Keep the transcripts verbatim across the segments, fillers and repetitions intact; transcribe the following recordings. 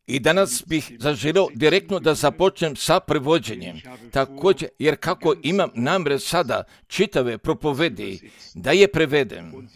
I danas bih zaželio direktno da započnem sa prevođenjem. Također, jer kako imam namjer sada čitave propovedi da je prevedem,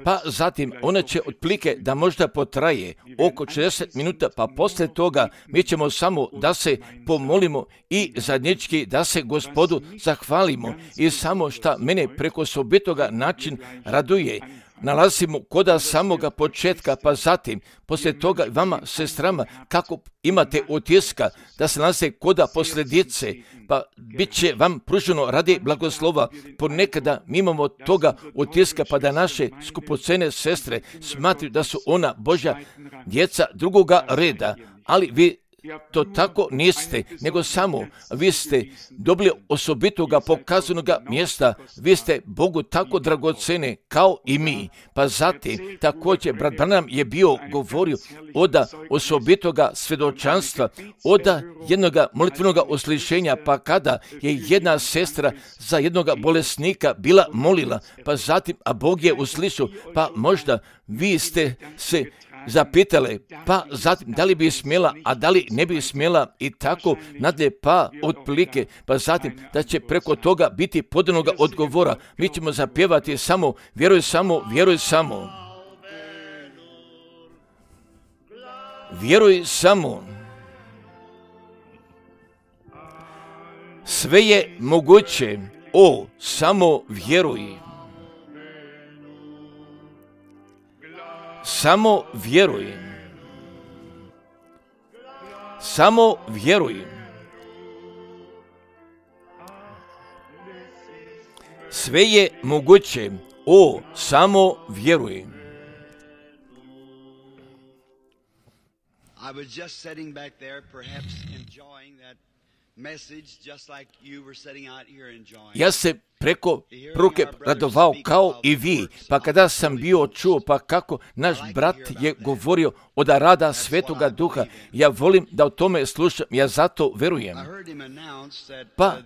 pa zatim ona će otprilike da možda potraje oko šezdeset minuta, pa poslije toga mi ćemo samo da se pomolimo i zajednički da se Gospodu zahvalimo i samo šta mene preko osobitoga način raduje. Nalazimo koda samoga početka, pa zatim, poslije toga vama, sestrama, kako imate utiska da se nalaze koda posljedice, pa bit će vam pruženo radi blagoslova. Ponekada mi imamo toga utiska, pa da naše skupocene sestre smatruju da su ona Božja djeca drugoga reda, ali vi to tako niste, nego samo vi ste dobili osobitoga pokazanoga mjesta, vi ste Bogu tako dragocene kao i mi. Pa zatim također brat Branham je bio govorio oda osobitoga svjedočanstva, oda jednoga molitvenoga uslišenja, pa kada je jedna sestra za jednoga bolesnika bila molila, pa zatim, a Bog je uslišao, pa možda vi ste se zapitale, pa zatim da li bi smjela, a da li ne bi smjela i tako nadalje, pa otprilike, pa zatim da će preko toga biti podanoga odgovora. Mi ćemo zapjevati samo, vjeruj samo, vjeruj samo. Vjeruj samo. Sve je moguće, o, samo vjeruj. Samo vjeruj. Samo vjeruj. Sve je moguće. O, samo vjeruj. I was just sitting back there, perhaps enjoying that message, just like you were sitting out here enjoying. Ja se preko pruke radovao kao i vi, pa kada sam bio čuo, pa kako naš brat je govorio od rada Svetoga Duha, ja volim da o tome slušam, ja zato verujem. Pa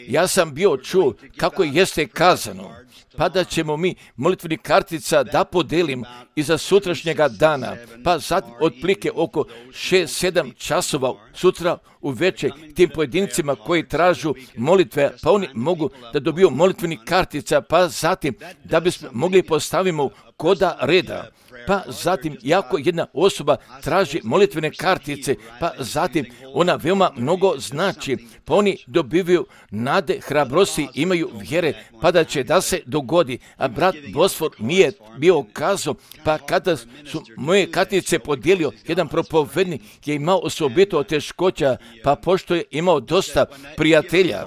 ja sam bio čuo kako jeste kazano, pa da ćemo mi molitveni kartica da podelimo iza sutrašnjega dana, pa zatim otprilike oko šest sedam časova sutra uveče tim pojedincima koji tražu molitve, pa oni mogu da dobiju molitveni kartica, pa zatim da bismo mogli postavimo koda reda. Pa zatim, jako jedna osoba traži molitvene kartice, pa zatim ona veoma mnogo znači, pa oni dobivaju nade, hrabrosti, imaju vjere, pa da će da se dogodi. A brat Bosfor mi je bio kazao, pa kada su moje kartice podijelio, jedan propovednik je imao osobito teškoća, pa pošto je imao dosta prijatelja,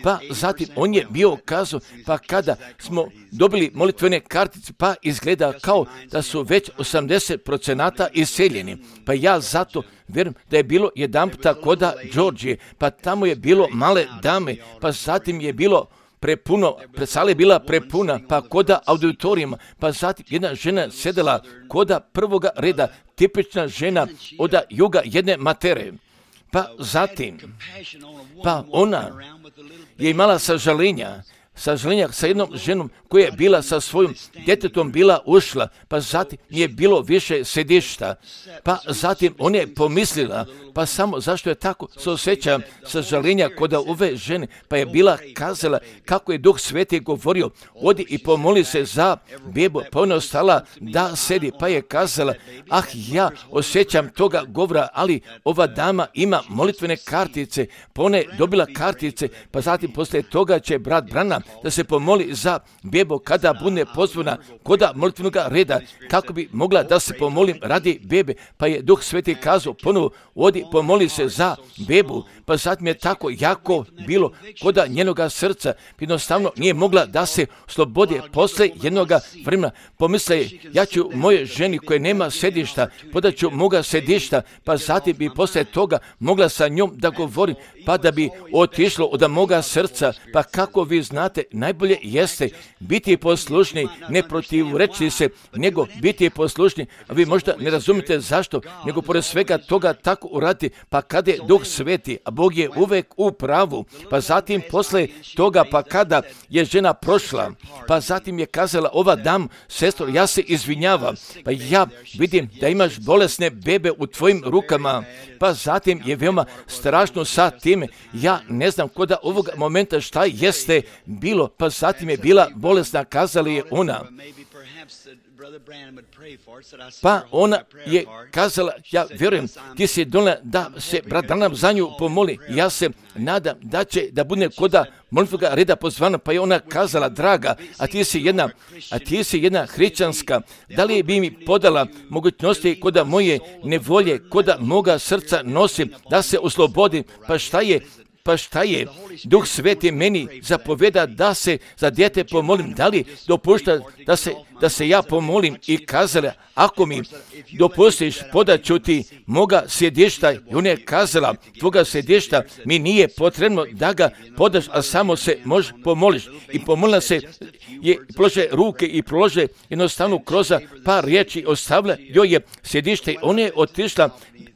pa zatim on je bio kazao, pa kada smo dobili molitvene kartice, pa izgleda kao da su već osamdeset procenata iseljeni. Pa ja zato vjerujem da je bilo jedan puta koda Đorđije, pa tamo je bilo male dame, pa zatim je bilo prepuno, sala je bila prepuna, pa koda auditorijima, pa zatim jedna žena sedela koda prvoga reda, tipična žena od juga jedne matere. Pa zatim, pa ona je imala sažalenja, sažalenja sa jednom ženom koja je bila sa svojim djetetom bila ušla, pa zatim je bilo više sedišta, pa zatim ona je pomislila, pa samo zašto je tako se osjeća sažalenja kod ove žene, pa je bila kazala kako je Duh Sveti govorio, odi i pomoli se za bebu, pa ona ostala da sedi, pa je kazala, ah ja osjećam toga govora, ali ova dama ima molitvene kartice, pa ona je dobila kartice, pa zatim poslije toga će brat Branham da se pomoli za bebu kada bude pozvana koda molitvenog reda, kako bi mogla da se pomolim radi bebe, pa je Duh Sveti kazao ponovo, odi pomoli se za bebu, pa zatim je tako jako bilo koda njenoga srca, jednostavno nije mogla da se slobodi posle jednoga vremena. Pomisla je, ja ću moje ženi koje nema sedišta, podaću moga sedišta, pa zatim bi posle toga mogla sa njom da govorim, pa da bi otišlo od moga srca, pa kako vi znate znate, najbolje jeste biti poslušni, ne protivreći se, nego biti poslušni. A vi možda ne razumite zašto, nego pored svega toga tako uradi, pa kada je Duh Sveti, a Bog je uvek u pravu, pa zatim posle toga, pa kada je žena prošla, pa zatim je kazala, ova dam, sestro, ja se izvinjavam, pa ja vidim da imaš bolesne bebe u tvojim rukama, pa zatim je veoma strašno sa time, ja ne znam koda ovog momenta šta jeste bilo, pa zatim je bila bolesna, kazala je ona. Pa ona je kazala, ja vjerujem, ti si donela da se brat Branham za nju pomoli. Ja se nadam da će da bude koda molitvoga reda pozvana, pa je ona kazala, draga, a ti si jedna, a ti si jedna hrišćanska, da li bi mi podala mogućnosti koda moje nevolje, koda moga srca nosim, da se oslobodi, pa šta je, Pa šta je? Duh Sveti meni zapoveda da se za dijete pomolim. Da li dopušta da se, da se ja pomolim? I kazala, ako mi dopustiš, podaću ti moga sjedišta. I ona je kazala, tvoga sjedišta mi nije potrebno da ga podaš, a samo se možeš pomoliš. I pomolila se, je polože ruke i prolože jednostavno kroz par riječi, ostavila joj je sjedište. Ona je otišla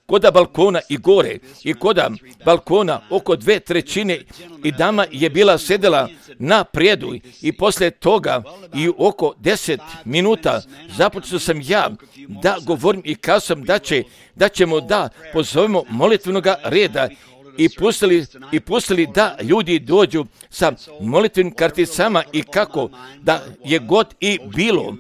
koda balkona i gore, i koda balkona oko dve trećine i dama je bila sedela na prijedu i poslije toga i oko deset minuta započeo sam ja da govorim i kazam da, će, da ćemo da pozovemo molitvenoga reda i pustili, i pustili da ljudi dođu sa molitvenim karticama i kako da je god i bilo.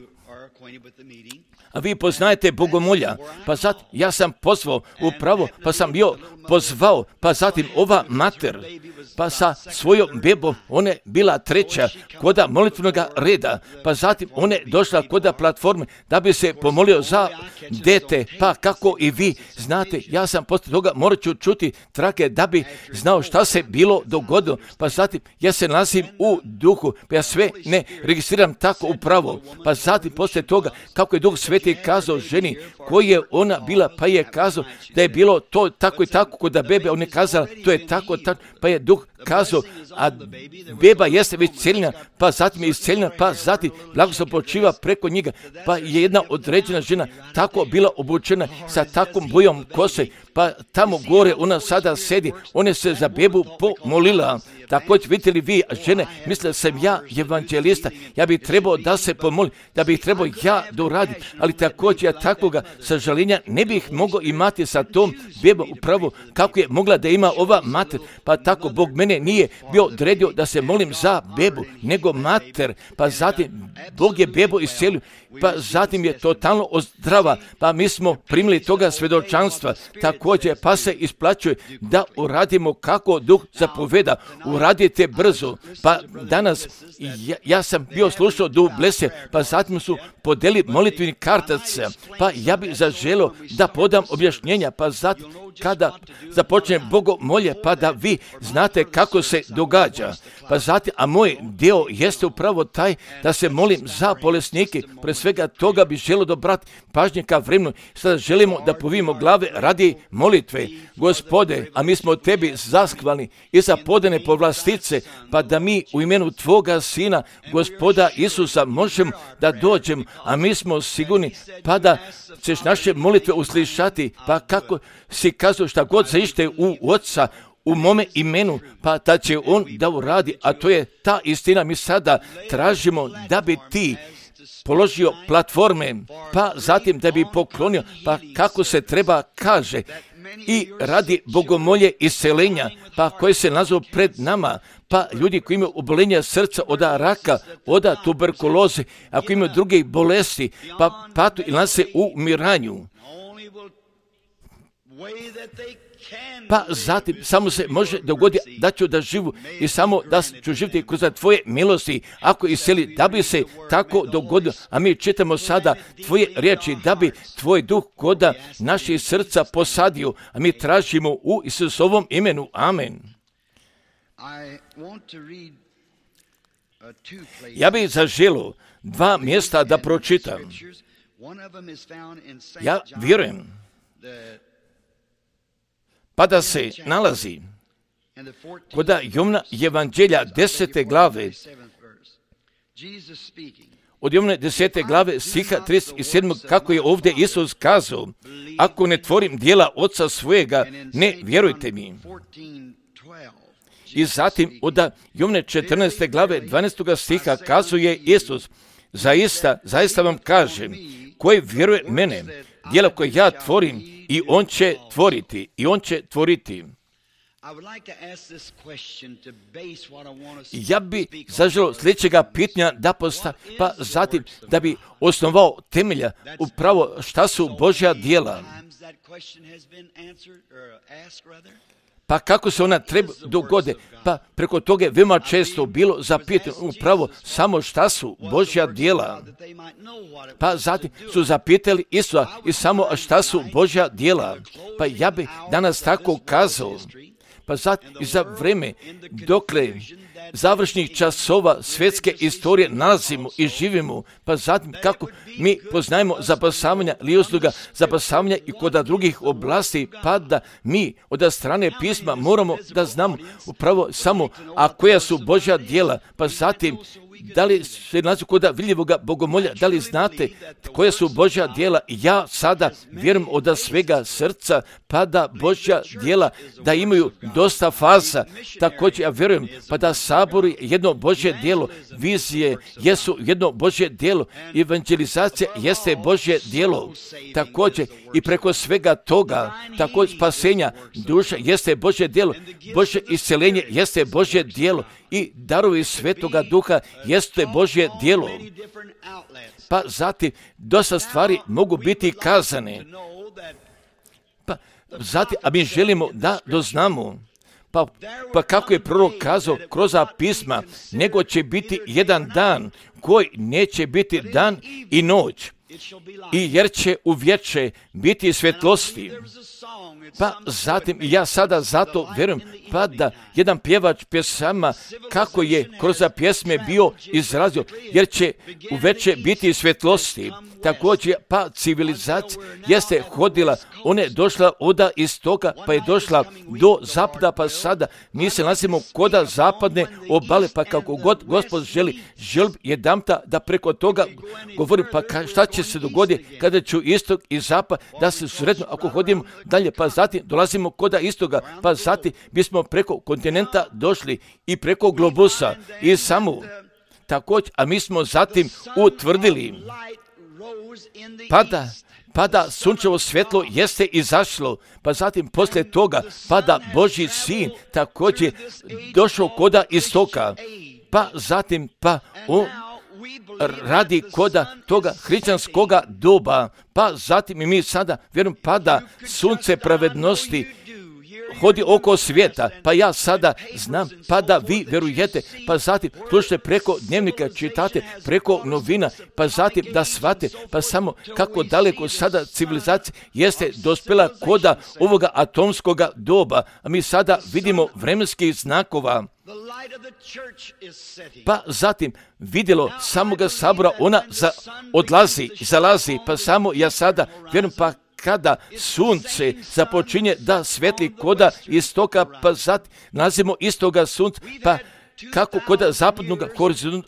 A vi poznajete Bogomolja, pa sad ja sam pozvao upravo, pa sam bio pozvao, pa zatim ova mater, pa sa svojom bebom, ona je bila treća koda molitvenog reda, pa zatim ona je došla koda platforme da bi se pomolio za dete, pa kako i vi znate, ja sam posle toga morat ću čuti trake da bi znao šta se bilo dogodilo, pa zatim ja se nalazim u duhu, pa ja sve ne registriram tako upravo, pa zatim posle toga kako je Duh Sveti kazao ženi koji je ona bila, pa je kazao da je bilo to tako i tako kod da bebe, on je kazala to je tako, tako, pa je Duh kazao, a beba jeste već cijeljena, pa zatim je iscijeljena, pa zatim blagoslov počiva preko njega, pa je jedna određena žena tako bila obučena sa takvom bojom kose, pa tamo gore ona sada sedi, ona se za bebu pomolila. Također vidite li vi, žene, mislila sam ja evanđelista, ja bih trebao da se pomolim, da bih trebao ja da uradim, ali također ja takvoga sažaljenja ne bih mogao imati sa tom bebom upravo kako je mogla da ima ova mater, pa tako Bog mene nije bio odredio da se molim za bebu, nego mater, pa zatim Bog je bebu iscijelio, pa zatim je totalno ozdrava, pa mi smo primili toga svjedočanstva, također pa se isplaćuje da uradimo kako Duh zapoveda, uradite brzo, pa danas ja, ja sam bio slušao do Blese, pa zatim su podeli molitveni kartac, pa ja bih zaželio da podam objašnjenja, pa zatim kada započne bogomolje, pa da vi znate kako se događa, pa zatim, a moj dio jeste upravo taj da se molim za bolesnike, pre svega toga bi želio dobrati pažnje ka vremenu, sada želimo da povijemo glave radi molitve, Gospode, a mi smo tebi zaskvani i za podane povlastice, pa da mi u imenu tvoga Sina, Gospoda Isusa, možemo da dođemo, a mi smo sigurni, pa da ćeš naše molitve uslišati, pa kako si kazao šta god zaište u Oca, u mome imenu, pa da će on da uradi, a to je ta istina. Mi sada tražimo da bi ti položio platforme, pa zatim da bi poklonio, pa kako se treba kaže, i radi bogomolje iscelenja, pa koje se nazvu pred nama, pa ljudi koji imaju obolenja srca od raka, od tuberkuloze, ako imaju druge bolesti, pa patu ili nas se u umiranju. Pa zatim samo se može dogoditi da ću da živu i samo da ću živjeti kroz tvoje milosti, ako iseli, da bi se tako dogodilo. A mi čitamo sada tvoje riječi, da bi tvoj duh koda naših srca posadio, a mi tražimo u Isusovom imenu. Amen. Ja bih zaželio dva mjesta da pročitam. Ja vjerujem pa da se nalazi koda Jovana evanđelja desete glave od Jovane desete glave stiha trideset sedam kako je ovdje Isus kazao, ako ne tvorim djela Oca svojega, ne vjerujte mi. I zatim od Jovane četrnaeste glave dvanaestog stiha kazuje Isus, zaista, zaista vam kažem, koji vjeruje mene, djela koje ja tvorim, i on će tvoriti, i on će tvoriti. Ja bi zaželio sljedećega pitanja da postavim, pa zatim da bi osnovao temelja upravo šta su Božja djela. Pa kako se ona treba dogode? Pa preko toga je veoma često bilo zapitano upravo samo šta su Božja djela. Pa zatim su zapitali Isusa i samo šta su Božja djela. Pa ja bi danas tako kazao. Pa zatim i za vreme dokle završnih časova svjetske istorije nalazimo i živimo, pa zatim kako mi poznajemo zapasavanja ili usluga zapasavanja i kod drugih oblasti, pa da mi od strane pisma moramo da znamo upravo samo a koja su Božja djela, pa zatim da li se nalazi kod vidljivoga bogomolja, da li znate koja su Božja djela? Ja sada vjerujem od svega srca, pa da Božja djela da imaju dosta faza. Također ja vjerujem pa da sabori jedno Božje djelo, vizije jesu jedno Božje djelo, evangelizacija jeste Božje djelo. Također i preko svega toga, također spasenja duša jeste Božje djelo, Božje isceljenje jeste Božje djelo i darovi Svetoga Duha jeste Božje djelo. Pa zatim dosta stvari mogu biti kazane. Pa zatim, a mi želimo da doznamo. Pa, pa kako je prorok kazao kroz pisma, nego će biti jedan dan koji neće biti dan i noć. I jer će u vječe biti svjetlosti. Pa zatim ja sada zato vjerujem pa da jedan pjevač pjesama kako je kroz pjesme bio izrazio, jer će u večer biti svjetlosti. Također pa civilizacija jeste hodila, ona je došla oda iz toga pa je došla do zapada, pa sada mi se nalazimo koda zapadne obale, pa kako god Gospod želi, želi jedanputa da preko toga govori, pa šta će se dogoditi kada ću istok i zapad da se sretnu ako hodimo dalje, pa zatim dolazimo koda istoga, pa zatim bismo preko kontinenta došli i preko globusa i samo također, a mi smo zatim utvrdili pada, pada sunčevo svjetlo jeste izašlo, pa zatim poslije toga pada Božji sin također došao koda istoka, pa zatim pa on radi koda toga hrišćanskoga doba, pa zatim i mi sada vjerujem pada sunce pravednosti hodi oko svijeta, pa ja sada znam, pa da vi vjerujete, pa zatim slušajte preko dnevnika, čitate preko novina, pa zatim da shvate, pa samo kako daleko sada civilizacija jeste dospjela koda ovoga atomskoga doba, a mi sada vidimo vremenskih znakova. Pa zatim vidjelo samoga sabora, ona za, odlazi, zalazi, pa samo ja sada vjerujem pa kada sunce započinje da svetli koda istoka, pa zatim nalazimo istoga sunca, pa kako koda zapadnog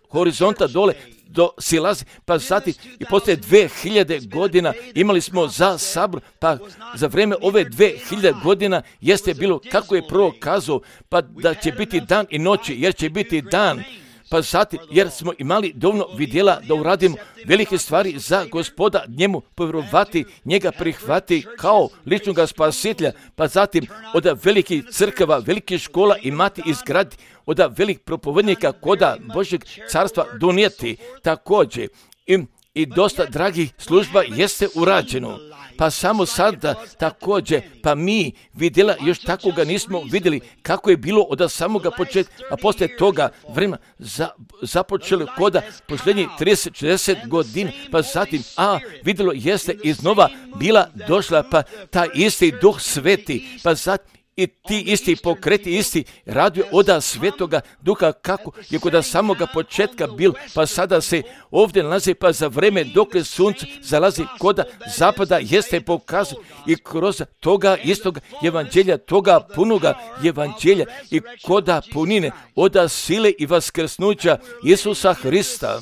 horizonta dole do silazi, pa zatim i poslije dve hiljade godina imali smo za sabor, pa za vrijeme ove dve hiljade godina jeste bilo kako je prorok kazao, pa da će biti dan i noći, jer će biti dan. Pa zatim, jer smo imali dovoljno vidjela da uradimo velike stvari za Gospoda, njemu povjerovati, njega prihvati kao ličnog spasitelja, pa zatim od velikih crkava, velikih škola imati izgraditi, od velikih propovednika koda Božjeg carstva donijeti također. I, i dosta dragih služba jeste urađeno. Pa samo sada također, pa mi vidjela, još tako ga nismo vidjeli kako je bilo od samoga početka, a poslije toga vremena za, započeli koda posljednjih trideset četrdeset godina, pa zatim, a vidjelo jeste iznova bila došla, pa ta isti Duh Sveti, pa zatim i ti isti pokreti, isti radio oda Svetoga Duha kako je kod samoga početka bil, pa sada se ovdje nalazi, pa za vreme dok sunce zalazi koda zapada jeste pokazuje i kroz toga istoga evanđelja, toga punoga evanđelja i koda punine oda sile i vaskrsnuća Isusa Hrista.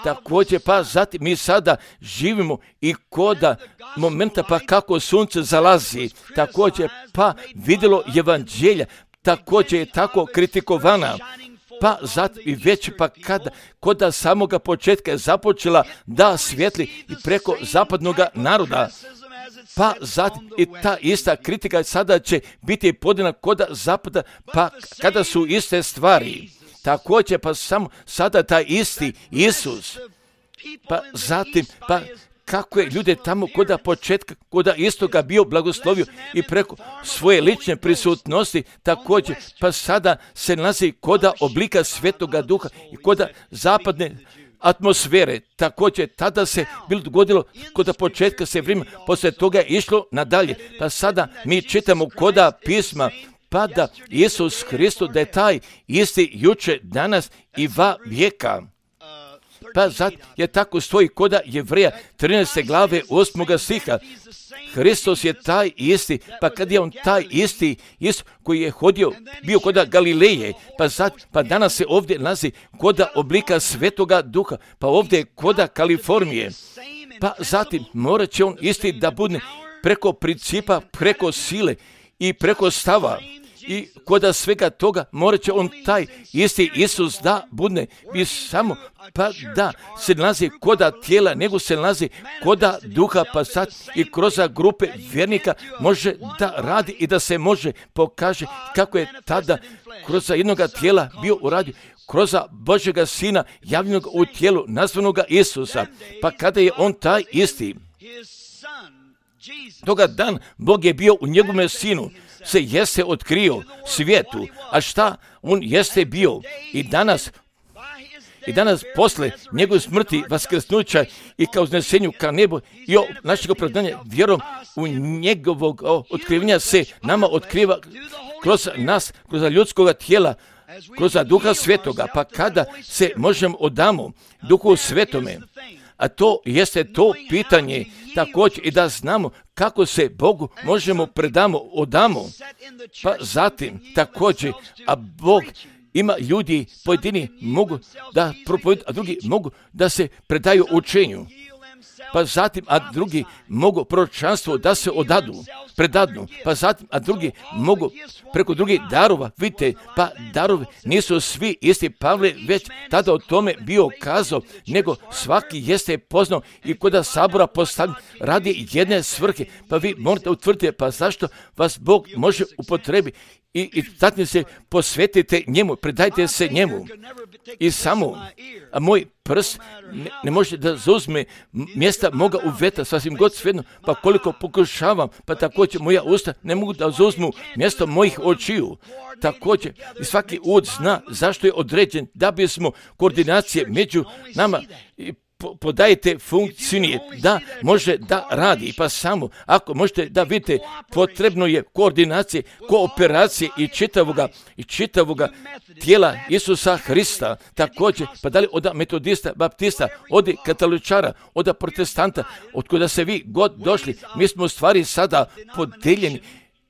Također, pa zatim mi sada živimo i koda momenta pa kako sunce zalazi, također pa vidjelo evanđelja, također je tako kritikovana, pa zatim i već pa kada koda samoga početka je započela da svijetli i preko zapadnog naroda, pa zatim i ta ista kritika sada će biti podana koda zapada, pa kada su iste stvari. Također, pa samo sada taj isti Isus, pa zatim, pa kako je ljude tamo koda početka, koda istoga bio blagoslovio i preko svoje lične prisutnosti, također, pa sada se nalazi koda oblika Svetoga Duha i koda zapadne atmosfere. Također, tada se bilo dogodilo, koda početka se vrijeme, poslije toga je išlo nadalje, pa sada mi čitamo koda pisma, pa da Isus Hristos da je taj isti juče, danas i va vijeka. Pa zato je tako stoji koda Jevreja trinaeste glave osmoga stiha. Hristos je taj isti, pa kad je on taj isti, isti koji je hodio, bio koda Galileje, pa zato, pa danas se ovdje nalazi koda oblika Svetoga Duha, pa ovdje je koda Kalifornije. Pa zatim morat će on isti da bude preko principa, preko sile i preko stava. I koda svega toga morat će on taj isti Isus da budne i samo pa da se nalazi koda tijela, nego se nalazi koda duha, pa sad i kroz grupe vjernika može da radi i da se može pokaže kako je tada kroz jednoga tijela bio uradio, kroz Božjega Sina javljenog u tijelu nazvanoga Isusa, pa kada je on taj isti. Toga dan Bog je bio u njegovome Sinu, se jeste otkrio svijetu, a šta on jeste bio i danas, i danas posle njegove smrti, vaskrsnuća i kao uznesenju ka nebu i o našeg opravdanja vjerom u njegovog otkrivenja se nama otkriva kroz nas, kroz ljudskog tijela, kroz Duha Svetoga, pa kada se možemo odamo Duhu Svetome, a to jeste to pitanje također i da znamo kako se Bogu možemo predamo, odamo, pa zatim također, a Bog ima ljudi, pojedini mogu da propovedu, a drugi mogu da se predaju učenju, pa zatim, a drugi mogu proročanstvo da se odadu, predadnu, pa zatim, a drugi mogu preko drugih darova, vidite, pa darovi nisu svi isti. Pavle već tada o tome bio kazao, nego svaki jeste poznao i koda sabora postavljen radi jedne svrhe, pa vi morate utvrditi, pa zašto vas Bog može upotrebiti i, i tatni se posvetite njemu, predajte se njemu i samo, a moj prst ne, ne može da zauzme mjesta moga uveta, sasvim god svejedno, pa koliko pokušavam, pa također moja usta ne mogu da zauzmu mjesto mojih očiju. Također i svaki ud zna zašto je određen, da bismo koordinacije među nama i podajete funkcije da može da radi, pa samo ako možete da vidite, potrebno je koordinacije, kooperacije i čitavoga i čitavoga tijela Isusa Hrista. Također, pa da li od metodista, baptista, od katoličara, od protestanta, od kuda se vi god došli, mi smo u stvari sada podeljeni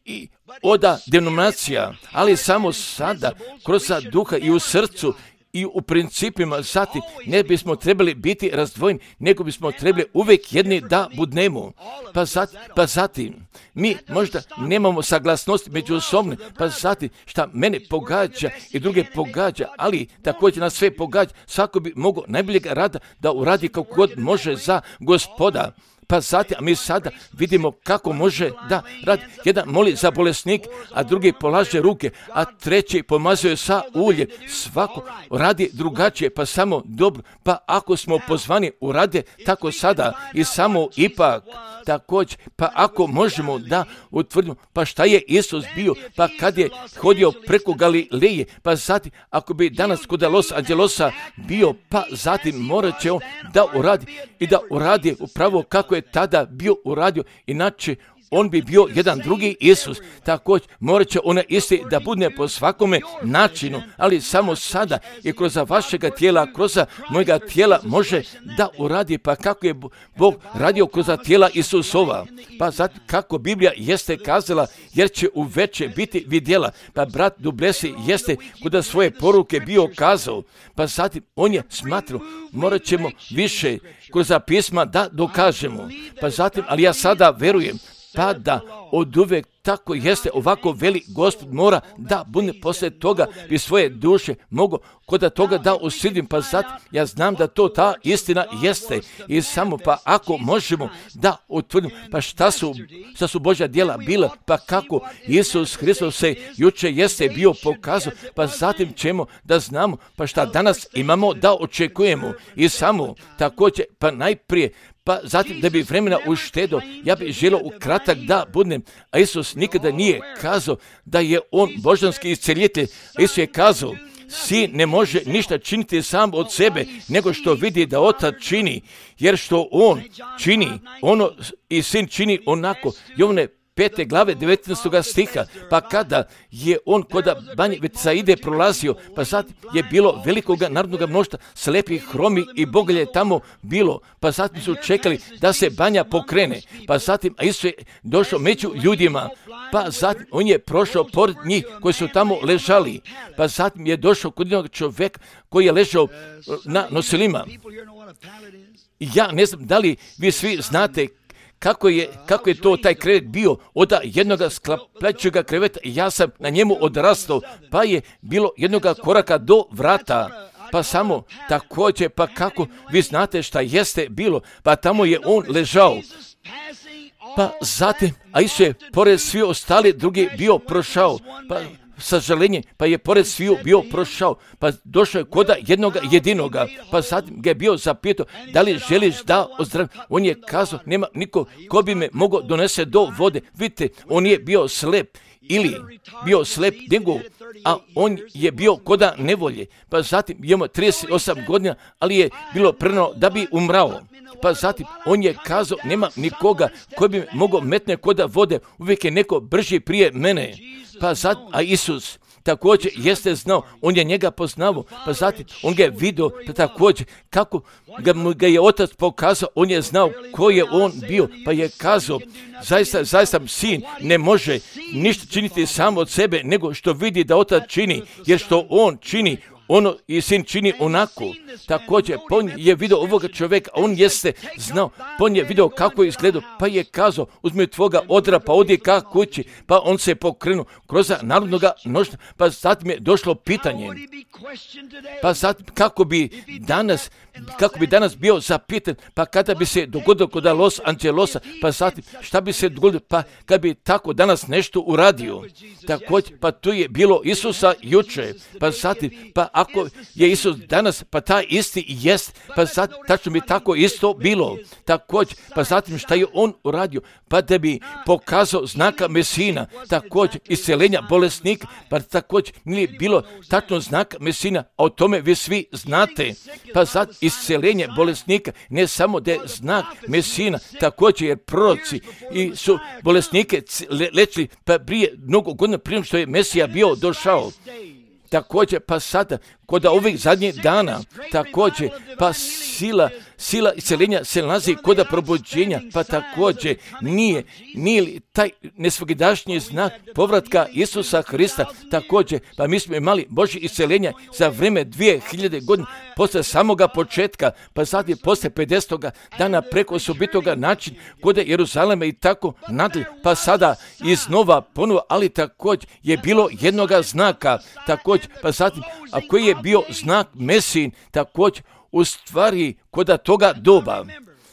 i od denominacija, ali samo sada kroz duha i u srcu i u principima, zatim ne bismo trebali biti razdvojeni, nego bismo trebali uvijek jedni da budnemo. Pa zatim, pa zatim mi možda nemamo saglasnost međusobne, pa zatim šta mene pogađa i druge pogađa, ali također nas sve pogađa, svako bi mogao najboljeg rada da uradi kako god može za Gospoda. Pa zatim, a mi sada vidimo kako može da radi. Jedan moli za bolesnik, a drugi polaže ruke, a treći pomazuje sa uljem. Svako radi drugačije, pa samo dobro. Pa ako smo pozvani urade tako sada i samo ipak također, pa ako možemo da utvrdimo, pa šta je Isus bio, pa kad je hodio preko Galileje, pa zatim ako bi danas kod Los Angelosa bio, pa zatim morat će on da uradi i da uradi upravo kako je tada bio uradio, inače on bi bio jedan drugi Isus. Također morat će ona isti da bude po svakome načinu, ali samo sada i kroz vašega tijela, kroz mojega tijela može da uradi, pa kako je Bog radio kroz tijela Isusova. Pa zato kako Biblija jeste kazala, jer će uveče biti vidjela. Pa brat Dublesi jeste kod svoje poruke bio kazao, pa zatim on je smatrao, morat ćemo više kroz pisma da dokažemo. Pa zatim, ali ja sada verujem, pa da od uvek tako jeste, ovako veli Gospod mora da bude poslije toga bi svoje duše mogu kod toga da usidim, pa zato ja znam da to ta istina jeste i samo pa ako možemo da utvrdimo, pa šta su, šta su Božja djela bila, pa kako Isus Hristos se juče jeste bio pokazao, pa zatim ćemo da znamo, pa šta danas imamo da očekujemo i samo također, pa najprije, pa zatim da bi vremena uštedo, ja bih želio u kratak da budem, a Isus nikada nije kazao da je on božanski isceljitelj. Isus je kazao, sin ne može ništa činiti sam od sebe, nego što vidi da otac čini, jer što on čini, ono i sin čini onako. Jovane pete glave devetnaestog stiha, pa kada je on kod banje Betsaide prolazio, pa sad je bilo velikoga narodnog mnoštva, slepih, hromi i bogalje tamo bilo, pa zatim su čekali da se banja pokrene, pa zatim a Isus je došao među ljudima, pa zatim on je prošao pored njih koji su tamo ležali, pa zatim je došao kod jednog čovjeka koji je ležao na nosilima. Ja ne znam da li vi svi znate Kako je, kako je to taj krevet bio od jednoga sklapljačega kreveta, ja sam na njemu odrastao, pa je bilo jednoga koraka do vrata, pa samo također, pa kako vi znate šta jeste bilo, pa tamo je on ležao. Pa zatim, a Isus je pored svi ostali drugi bio prošao, pa sažalenje, pa je pored sviju bio prošao, pa došao je koda jednoga jedinoga, pa zatim ga je bio zapitao, da li želiš da ozdravim? On je kazao, nema niko ko bi me mogao donese do vode. Vidite, on je bio slep, ili bio slep nego, a on je bio koda nevolje, pa zatim je imao trideset osam godina, ali je bilo preno da bi umrao. Pa zatim on je kazao, nema nikoga koji bi me mogao metne koda vode, uvijek je neko brži prije mene. Pa zatim, a Isus također jeste znao, on je njega poznao, pa zatim on ga je vidio, pa također kako ga, ga je otac pokazao, on je znao ko je on bio, pa je kazao, zaista, zaista sin ne može ništa činiti sam od sebe, nego što vidi da otac čini, jer što on čini, ono i sin čini onako. Također, on je vidio ovoga čovjeka, on jeste znao, on je vidio kako je izgledao, pa je kazao, uzmi tvoga odra, pa odi ka kući, pa on se pokrenuo kroz narodnoga mnoštva, pa zatim je došlo pitanje, pa zatim kako bi danas, kako bi danas bio zapitan, pa kada bi se dogodilo kod Los Angelesa, pa zatim šta bi se dogodilo, pa kad bi tako danas nešto uradio. Također, pa tu je bilo Isusa juče, pa zatim, pa ako je Isus danas, pa taj isti jest, pa zatim tačno bi tako isto bilo. Također, pa zatim šta je on uradio, pa da bi pokazao znaka Mesina, također isceljenja bolesnika, pa također nije bilo tačno znaka Mesina, a o tome vi svi znate. Pa zatim isceljenje bolesnika, ne samo da je znak Mesina, također jer proroci i su bolesnike lečili, pa prije mnogo godina prije što je Mesija bio došao. Također, pa sada, kod ovih zadnjih dana, također, pa sila, sila isceljenja se nalazi kod probuđenja, pa također nije, nije li taj nesvakidašnji znak povratka Isusa Hrista, također, pa mi smo imali Božje isceljenja za vrijeme dvije hiljade godina, posle samoga početka, pa zatim posle pedesetoga dana preko osobitoga način kod Jeruzalema i tako nadalje, pa sada iznova ponovo, ali također je bilo jednoga znaka, također, pa zatim, a koji je bio znak Mesin, također, u stvari kod toga doba.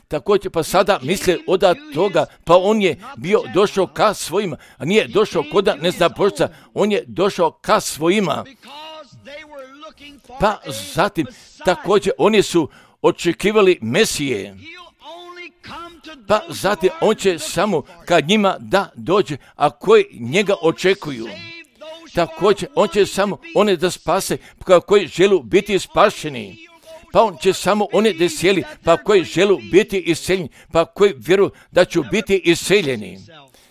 Također, pa sada misle od toga, pa on je bio došao ka svojima, a nije došao kod neznabošca, on je došao ka svojima. Pa zatim, također, oni su očekivali Mesije. Pa zatim, on će samo kad njima da dođe, a koji njega očekuju. Također, on će samo one da spase, pa koji želu biti spašeni. Pa on će samo one da sjeli, pa koji želu biti iseljeni, pa koji vjeruju da će biti iseljeni.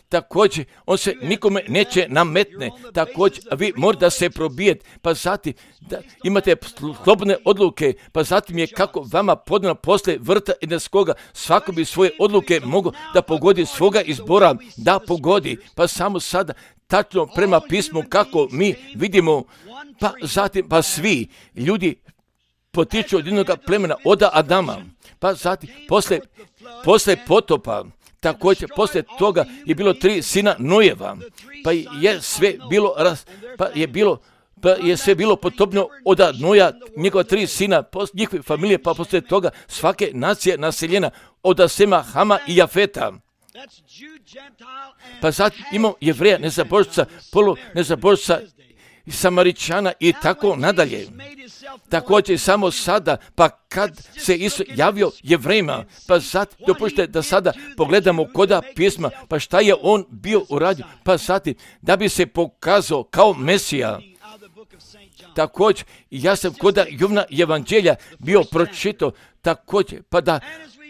također on se nikome neće nametne, također vi morate se probijeti, pa zatim da imate slobodne odluke, pa zatim je kako vama podano posle vrta Edenskoga, svako bi svoje odluke mogo da pogodi svoga izbora, da pogodi, pa samo sada tačno prema pismu kako mi vidimo, pa zatim pa svi ljudi potiču od jednog plemena, od Adama, pa zatim posle, posle potopa, također posle toga je bilo tri sina Nojeva, pa je sve bilo, pa je bilo Pa je sve bilo potopno od Noja, njegova tri sina, njihove familije, pa posle toga svake nacije naseljena od Sema, Hama i Jafeta. Pa zatim imamo Jevreja, nezabožca, polu nezabožca, Samaričana i tako nadalje. Također samo sada, pa kad se Isus javio Jevrejima, pa zatim dopušte da sada pogledamo koda pisma, pa šta je on bio uradio, pa zatim da bi se pokazao kao Mesija. Također, ja sam koda Jovna evanđelja bio pročitao, također, pa da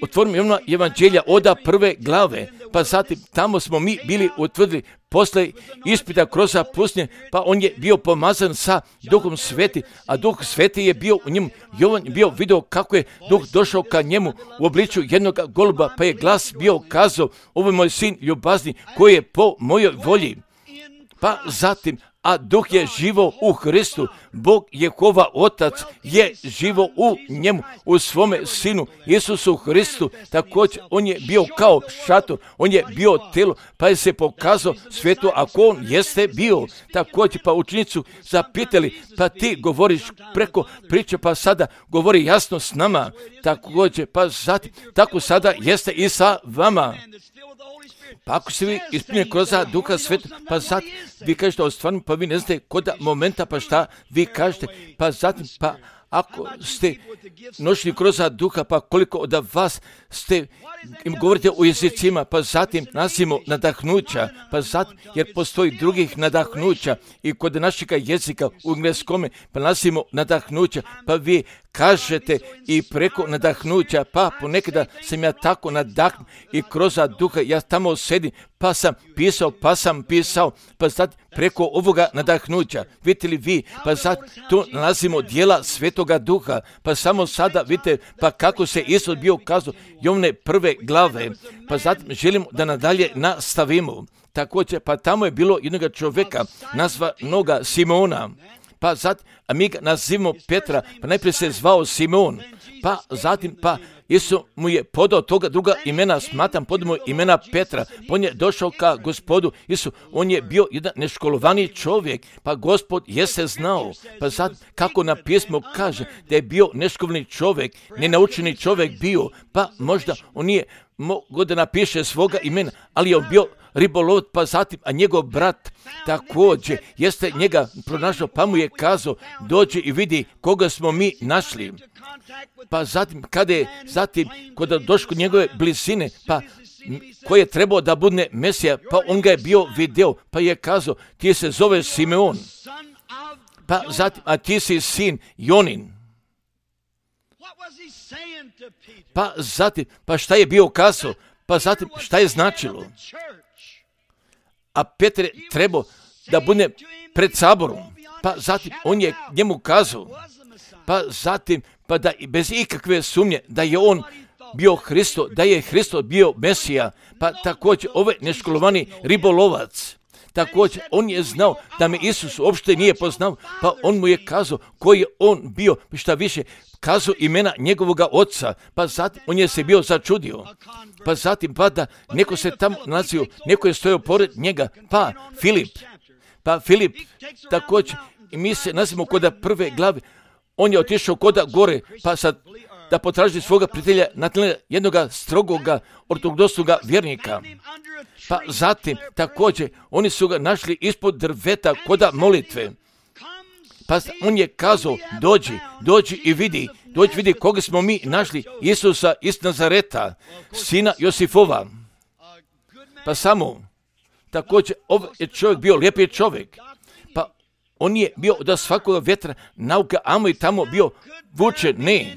otvorim Jovna evanđelja oda prve glave, pa zatim tamo smo mi bili utvrdili posle ispita kroz pustinje, pa on je bio pomazan sa Duhom Sveti, a Duh Sveti je bio u njemu. Jovan je bio video kako je Duh došao ka njemu u obličju jednog goluba, pa je glas bio kazao, ovo je moj sin ljubazni koji je po mojoj volji. Pa zatim, a Duh je živo u Hristu, Bog Jehova Otac je živo u njemu, u svome Sinu, Isusu Hristu, također on je bio kao šator, on je bio telo, pa je se pokazao svijetu ako on jeste bio, također pa učenicu zapitali, pa ti govoriš preko priče, pa sada govori jasno s nama, također pa zatim, tako sada jeste i sa vama. Pa ako se vi ispunjeni kroz Duha Svetog, pa zatim vi kažete o stvarno, pa vi ne znate koda momenta, pa šta vi kažete, pa zatim, pa ako ste nošli kroz Duha, pa koliko od vas ste im govorite o jezicima, pa zatim nasimo nadahnuća, pa zatim, jer postoji drugih nadahnuća i kod našeg jezika u engleskome, pa nasimo nadahnuća, pa vi kažete i preko nadahnuća, pa ponekada sam ja tako nadahnut i kroz Duha, ja tamo sedim, pa sam pisao, pa sam pisao, pa zatim preko ovoga nadahnuća, vidite li vi, pa zatim tu nalazimo dijela Svetoga Duha, pa samo sada vidite, pa kako se Isus bio kazao, Jovne prve glave, pa zatim želimo da nadalje nastavimo. Također, pa tamo je bilo jednog čovjeka, nazvanoga Simona, pa zatim, a mi ga nazivamo Petra, pa najprije se zvao Simon, pa zatim, pa Isus mu je podao toga druga imena, smatram podao imena Petra, pa on je došao ka Gospodu Isu, on je bio jedan neškolovani čovjek, pa Gospod jeste znao, pa zatim, kako na pismu kaže, da je bio neškolovani čovjek, nenaučeni čovjek bio, pa možda on nije mogao da napiše svoga imena, ali je on bio ribolov, pa zatim, a njegov brat također jeste njega pronašao, pa mu je kazao, dođi i vidi koga smo mi našli. Pa zatim, kada je zatim, kada došao kod njegove blizine, pa koji je trebao da bude Mesija, pa on ga je bio video, pa je kazao, ti se zoveš Simeon, pa zatim, a ti si sin Jonin. Pa zatim, pa šta je bio kazao, pa zatim, šta je značilo? A Petar je trebao da bude pred saborom, pa zatim on je njemu kazao, pa zatim, pa da bez ikakve sumnje da je on bio Hristo, da je Hristo bio Mesija, pa također ovaj neškolovani ribolovac, također on je znao da me Isus uopšte nije poznao, pa on mu je kazao koji je on bio, šta više, kazao imena njegovoga oca, pa zatim on je se bio začudio, pa zatim pa da neko se tamo nalazio, neko je stojao pored njega, pa Filip, pa Filip također, i mi se nalazimo kod prve glave, on je otišao koda gore, pa sad da potraži svoga prijatelja Natanela, jednoga strogoga ortodoksnoga vjernika. Pa zatim također oni su ga našli ispod drveta koda molitve. Pa on je kazao, dođi, dođi i vidi, dođi vidi koga smo mi našli, Isusa iz Nazareta, sina Josifova. Pa samo, također ovaj je čovjek bio lijepi čovjek. Pa on je bio od svakoga vjetra nauka, amo i tamo bio vuče, ne.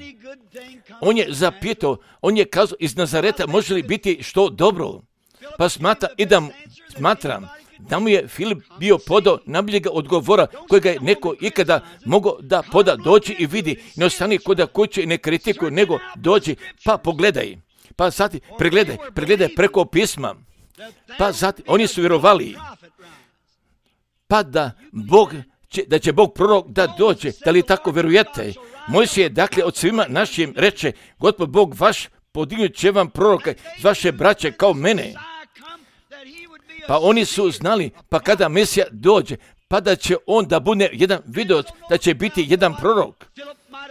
On je zapitao, on je kazao iz Nazareta može li biti što dobro? Pa smatra, idem smatram da mu je Filip bio podao najboljega odgovora kojega je neko ikada mogao da poda, doći i vidi, ne ostani kod kuće i ne kritikuje, nego dođi pa pogledaj, pa zatim pregledaj, pregledaj preko pisma, pa zatim oni su vjerovali, pa da Bog će, da će Bog prorok da dođe, da li tako vjerujete? Mojsije dakle od svima našim reče, Gospod Bog vaš podignut će vam proroka iz vaše braće kao mene. Pa oni su znali, pa kada Mesija dođe, pa da će on da bude jedan videoc, da će biti jedan prorok.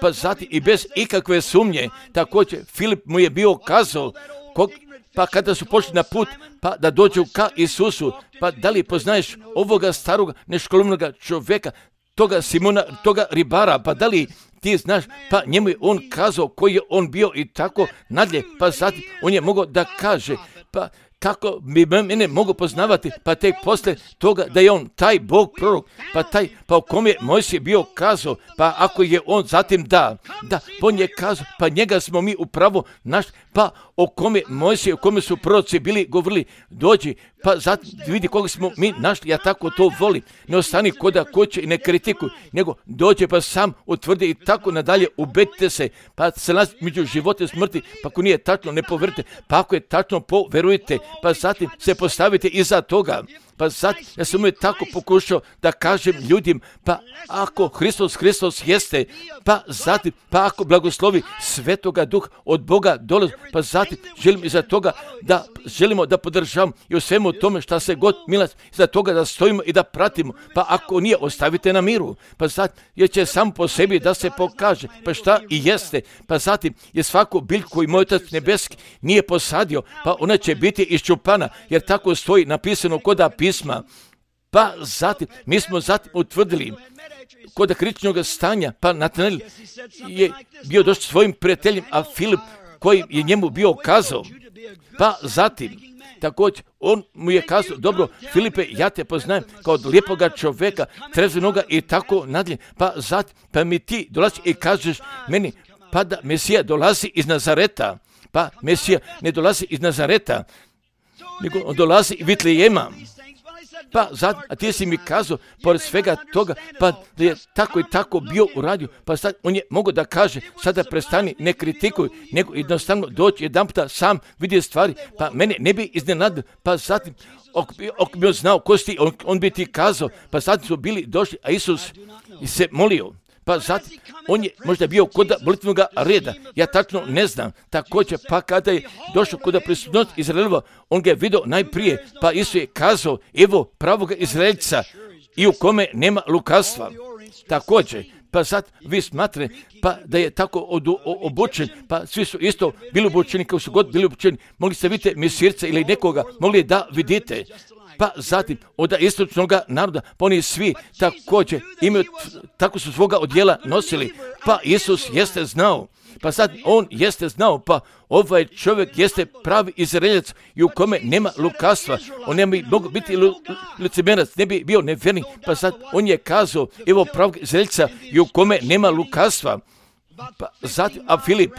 Pa zatim i bez ikakve sumnje, također Filip mu je bio kazao, kog, pa kada su pošli na put, pa da dođu ka Isusu, pa da li poznaješ ovoga staroga neškolovnog čovjeka, toga Simona, toga ribara, pa da li ti znaš, pa njemu je on kazao koji je on bio i tako nadalje, pa zatim on je mogao da kaže, pa kako bi mene mogu poznavati, pa tek posle toga da je on taj Bog prorok, pa taj, pa o kom je Mojsije bio kazao, pa ako je on zatim da, da, on je kazao, pa njega smo mi upravo naš, pa o kome Mojsije, o kome su proroci bili govorili, dođi, pa zatim vidi koga smo mi našli, ja tako to volim, ne ostani koda kuće i ne kritikuj, nego dođe pa sam utvrdi i tako nadalje, ubedite se, pa se nalazi među života i smrti, pa ako nije tačno ne poverite, pa ako je tačno poverujte, pa zatim se postavite iza toga. Pa sad, ja sam uvijek tako pokušao da kažem ljudima, pa ako Hristos, Hristos jeste, pa zatim, pa ako blagoslovi Svetoga Duha od Boga dolazi, pa zatim želim iza toga da želimo da podržavamo i u svemu tome šta se god milas, iza toga da stojimo i da pratimo, pa ako nije, ostavite na miru, pa zatim, jer će sam po sebi da se pokaže, pa šta i jeste, pa zatim je svaku biljku koju moj Otac nebeski nije posadio, pa ona će biti iščupana, jer tako stoji napisano koda pisma. Pa zatim, mi smo zatim utvrdili kod kritičnog stanja, pa Natanael je bio došao svojim prijateljem, a Filip koji je njemu bio kazao, pa zatim, također, on mu je kazao, dobro, Filipe, ja te poznajem kao od lijepoga čovjeka, trezvenoga i tako nadalje, pa zatim, pa mi ti dolazi i kažeš meni, pa da Mesija dolazi iz Nazareta, pa Mesija ne dolazi iz Nazareta, nego on dolazi iz Vitlejema. Pa zatim, a ti si mi kazao, pored svega toga, pa da je tako i tako bio u radiju, pa sad on je mogao da kaže, sada prestani, ne kritikuj, nego jednostavno doći jedan puta sam vidi stvari, pa mene ne bi iznenadilo, pa zatim, ako bi on znao ko si ti, on, on bi ti kazao, pa zatim su bili došli, a Isus se molio. Pa zatim, on je možda bio kod molitvenog reda, ja tačno ne znam, također, pa kada je došao kod prisutnosti Izraelova, on ga je vidio najprije, pa Isus je kazao, evo pravoga Izraelca i u kome nema lukavstva. Također, pa sad vi smatrate, pa da je tako od, o, obučen, pa svi su isto bili obučeni, kao su god bili obučeni, mogli ste vidjeti Mesirca ili nekoga, mogli da vidite. Pa zatim od istočnog naroda, pa oni svi također imaju, tako su svoga odjela nosili, pa Isus jeste znao, pa sad on jeste znao, pa ovaj čovjek jeste pravi Izraeljac i u kome nema lukavstva, on ne bi mogao biti licemjerac, ne bi bio nevjernik, pa sad on je kazao, evo pravog Izraelca i u kome nema lukavstva. Pa zatim, a Filip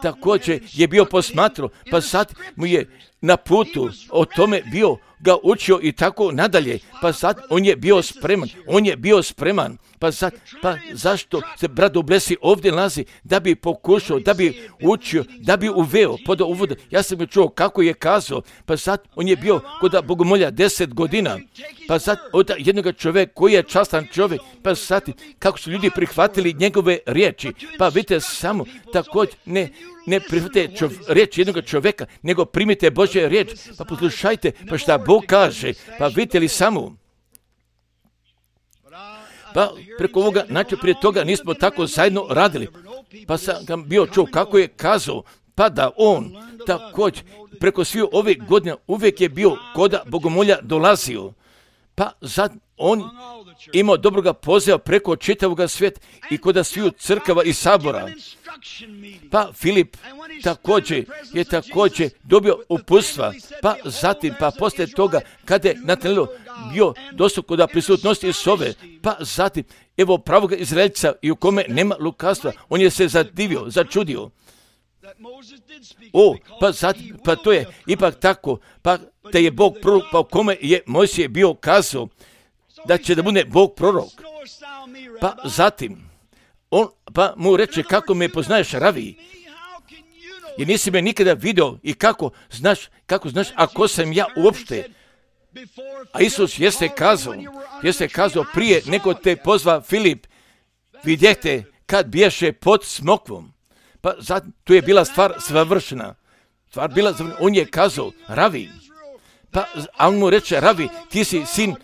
također je bio posmatrao, pa sad mu je na putu o tome bio ga učio i tako nadalje, pa sad on je bio spreman, on je bio spreman, pa sad, pa zašto se brat Dublesi ovdje nalazi, da bi pokušao, da bi učio, da bi uveo, pod uvod, ja sam je čuo kako je kazao, pa sad on je bio kod bogomolja deset godina, pa sad od jednog čovjeka koji je častan čovjek, pa sad kako su ljudi prihvatili njegove riječi, pa vidite samo također ne, ne prihvatite čov, riječ jednog čovjeka, nego primite Božje riječ, pa poslušajte, pa šta Bog kaže, pa vidite li samo. Pa preko ovoga, znači prije toga nismo tako zajedno radili, pa sam ga bio čuo kako je kazao, pa da on također preko svih ove godine uvijek je bio koda bogomolja dolazio, pa sad on imao dobroga poziva preko čitavoga svijeta i koda sviju crkava i sabora. Pa Filip također je također dobio uputstva, pa zatim, pa poslije toga, kada je Natanael bio došao kod prisutnosti Isove, pa zatim, evo pravog Izraelca i u kome nema lukavstva, on je se zadivio, začudio. O, pa sad, pa to je ipak tako, pa da je Bog prorok, pa o kome je Mojsije bio kazao da će da bude Bog prorok. Pa zatim, on pa mu reče, kako me poznaješ, Ravi? Jer nisi me nikada vidio i kako znaš, kako znaš, ako sam ja uopšte. A Isus jeste kazao, jeste kazao prije nego te pozva Filip, vidjehte kad biješe pod smokvom. Pa zatim, tu je bila stvar savršena. Stvar bila, on je kazao, Ravi. Pa, a on mu reče, Ravi, ti si sin,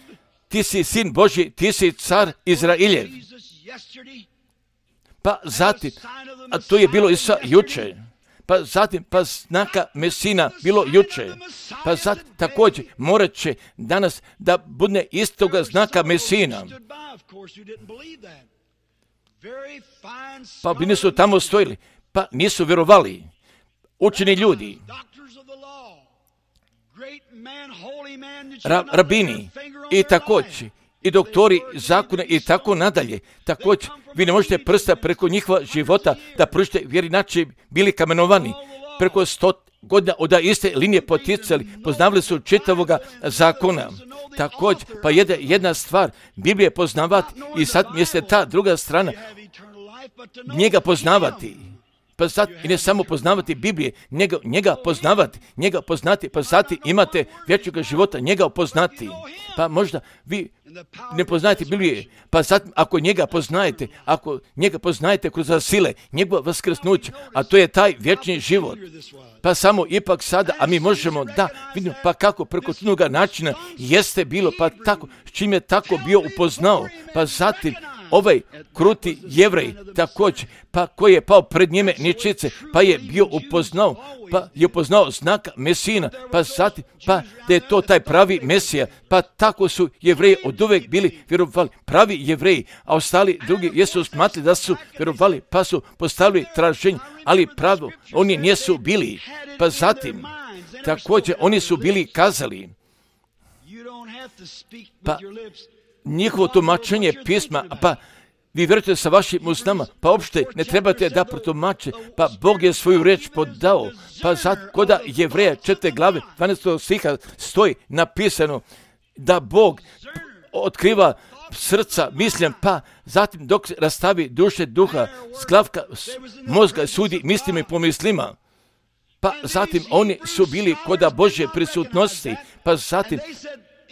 ti si sin Božji, ti si car Izrailjev. Pa zatim, a to je bilo Isusa juče. Pa zatim, pa znaka Mesina bilo juče. Pa zatim, također, morat će danas da bude istoga znaka Mesina. Pa bi nisu tamo stojili, pa nisu vjerovali. Učeni ljudi, ra, rabini i također, i doktori zakona i tako nadalje. Također, vi ne možete prsta preko njihova života da pružite, jer inače bili kamenovani. Preko sto godina od iste linije poticali, poznavali su čitavoga zakona. Također, pa jedna, jedna stvar, Biblije poznavati i sad jeste ta druga strana, njega poznavati. Pa sad, i ne samo poznavati Biblije, njega, njega poznavati, njega poznati, pa zati imate vječnoga života, njega poznati. Pa možda vi ne poznajete Biblije, pa sad ako njega poznajete, ako njega poznajete kroz sile, njegova vaskrsnuća, a to je taj vječni život. Pa samo ipak sada, a mi možemo da vidimo, pa kako preko toga načina jeste bilo, pa tako, s čim je tako bio upoznao, pa zatim, ovaj kruti Jevrej također, pa koji je pao pred njime ničice, pa je bio upoznao, pa je upoznao znaka Mesina, pa zatim, pa da je to taj pravi Mesija, pa tako su Jevreji od uvek bili vjerovali, pravi Jevreji, a ostali drugi jesu smatrali da su vjerovali, pa su postavili traženje, ali pravo, oni nisu bili, pa zatim, također, oni su bili kazali, pa njihovo tumačenje pisma, pa vi vjerujete sa vašim usnama, pa uopšte ne trebate da protumače, pa Bog je svoju riječ podao, pa sad koda Jevreja četvrte glave dvanaestog stiha stoji napisano da Bog otkriva srca, mislim, pa zatim dok rastavi duše, duha, sklavka, mozga, sudi mislima i pomislima. Pa zatim oni su bili koda Božje prisutnosti, pa zatim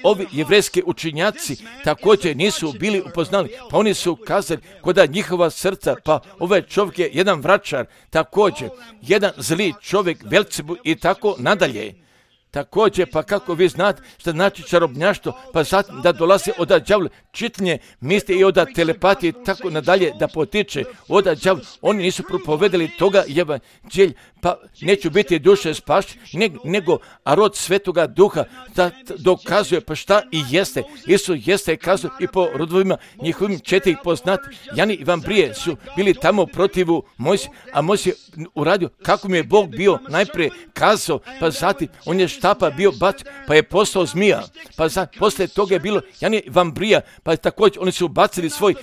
ovi jevrejski učenjaci također nisu bili upoznali, pa oni su kazali koda njihova srca, pa ovaj čovjek je jedan vračar, također, jedan zli čovjek, Belcebu i tako nadalje. Također, pa kako vi znate što znači čarobnjaštvo, pa zatim da dolazi od đavla, čitanje misli i od telepatije i tako nadalje da potiče od đavla. Oni nisu propovedali toga evanđelja, pa neću biti duše spašće, nego a rod Svetoga Duha da dokazuje pa šta i jeste. Isus jeste kazao i po rodovima njihovim četiri poznati. Jani i Vambrije su bili tamo protivu Mojsije, a Mojsije uradio kako mi je Bog bio najprije kazao, pa zatim on je štapa bio bac, pa je postao zmija. Pa zatim, poslije toga je bilo Jani i Vambrija, pa također oni su bacili svoj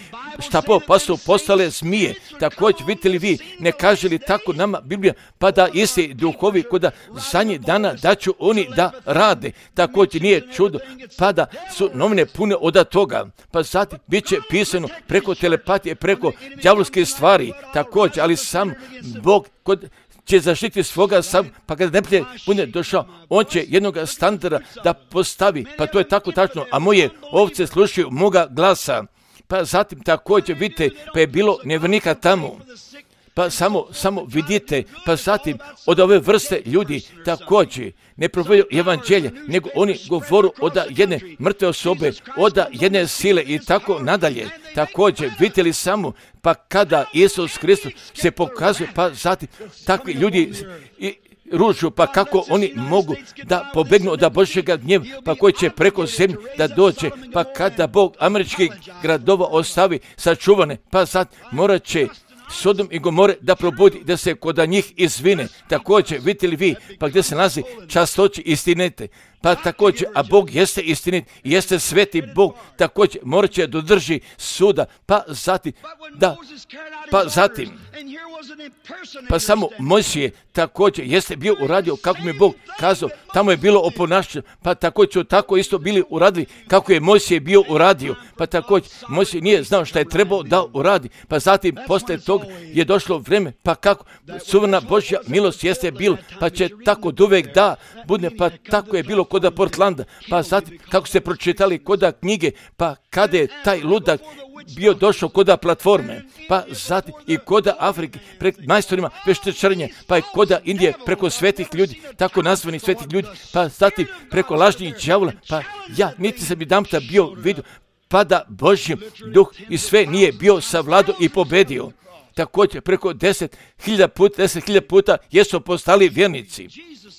štapov, pa su postale zmije. Također, vidite li vi, ne kaže li tako nama Biblija, pa da isti duhovi koda zadnjih dana da ću oni da rade. Također nije čudo, pa da su novine pune od toga. Pa zatim bit će pisano preko telepatije, preko đavolskih stvari. Također, ali sam Bog kod će zaštiti svoga sam, pa kada neprijatelj bude došao, on će jednog standarda da postavi, pa to je tako tačno, a moje ovce slušaju moga glasa. Pa zatim također vidite, pa je bilo nevjernika tamo. Pa samo, samo vidite, pa zatim od ove vrste ljudi također ne propovjedaju evanđelje, nego oni govoru od jedne mrtve osobe, od jedne sile i tako nadalje. Također, vidite li samo, pa kada Isus Hristos se pokazuje, pa zatim takvi ljudi i ružu, pa kako oni mogu da pobegnu od Božjega gnjeva, pa koji će preko zemlje da dođe, pa kada Bog američkih gradova ostavi sačuvane, pa sad morat će Sodom i Gomore da probudi, da se kod njih izvine. Također, vidite li vi, pa gdje se nalazi častoći istinete, Pa također, a Bog jeste istinit, jeste sveti Bog, također morat će dodrži suda, pa zatim, da, pa zatim, pa samo Mojsije također jeste bio uradio kako mi Bog kazao, tamo je bilo oponašanje, pa također su tako isto bili uradili kako je Mojsije bio uradio, pa također Mojsije nije znao šta je trebao da uradi, pa zatim poslije toga je došlo vrijeme, pa kako suvremena Božja milost jeste bila, pa će tako duvek da bude, pa tako je bilo koda Portlanda, pa zatim kako ste pročitali koda knjige, pa kada je taj ludak bio došao koda platforme, pa zatim i koda Afrike pred majstorima veštačarenja, pa i koda Indije preko svetih ljudi, tako nazvanih svetih ljudi, pa zatim preko lažnih đavola, pa ja niti sam jedanputa bio vidio pada Božji duh i sve nije bio savladao i pobedio. Također preko deset hiljada puta, deset hiljada puta jesu postali vjernici.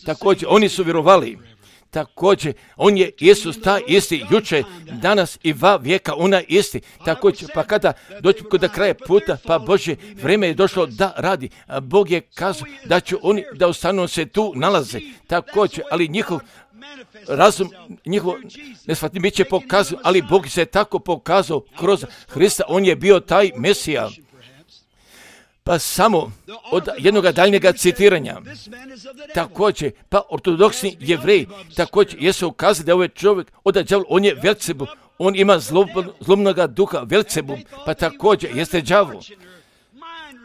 Također oni su vjerovali. Također, on je Isus taj isti juče, danas i va vijeka, ona isti. Također, pa kada dođe kod kraja puta, pa Bože, vrijeme je došlo da radi. A Bog je kazao da će oni da ostanu se tu nalaze. Također, ali njihov razum, njihov nesvatni bit će pokazao, ali Bog se tako pokazao kroz Hrista, on je bio taj Mesija. Pa samo od jednog daljnjega citiranja, također, pa ortodoksni jevreji, također jesu ukazali da ovaj čovjek od đavola, on je Velcebul, on ima zlobnoga duha Velcebul, pa također jeste đavo.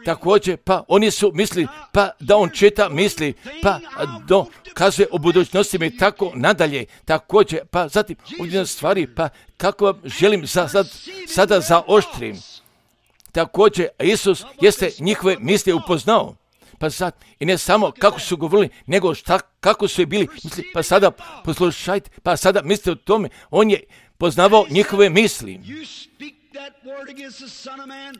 Također, pa oni su mislili, pa da on čita misli, pa do kazuje o budućnosti i tako nadalje. Također, pa zatim ovdje stvari, pa kako vam želim za, sad, sada zaoštrim. Također, Isus jeste njihove misli upoznao. Pa sad, i ne samo kako su govorili, nego šta, kako su je bili misli. Pa sada poslušajte, pa sada mislite o tome, on je poznavao njihove misli.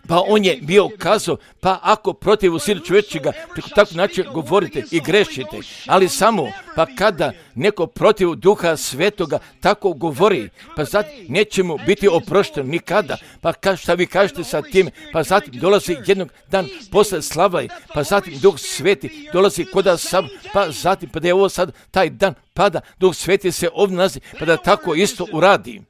Pa on je bio kazao, pa ako protiv Sina čovječega preko takvog načina govorite i grešite, ali samo pa kada neko protiv Duha Svetoga tako govori, pa zatim neće mu biti oprošteno nikada, pa ka, šta vi kažete sa tim, pa zatim dolazi jednog dan posle slavlja, pa zatim Duh Sveti dolazi koda sam, pa zatim pa da je ovo sad taj dan pada, Duh Sveti se ovdje nalazi, pa da tako isto uradi.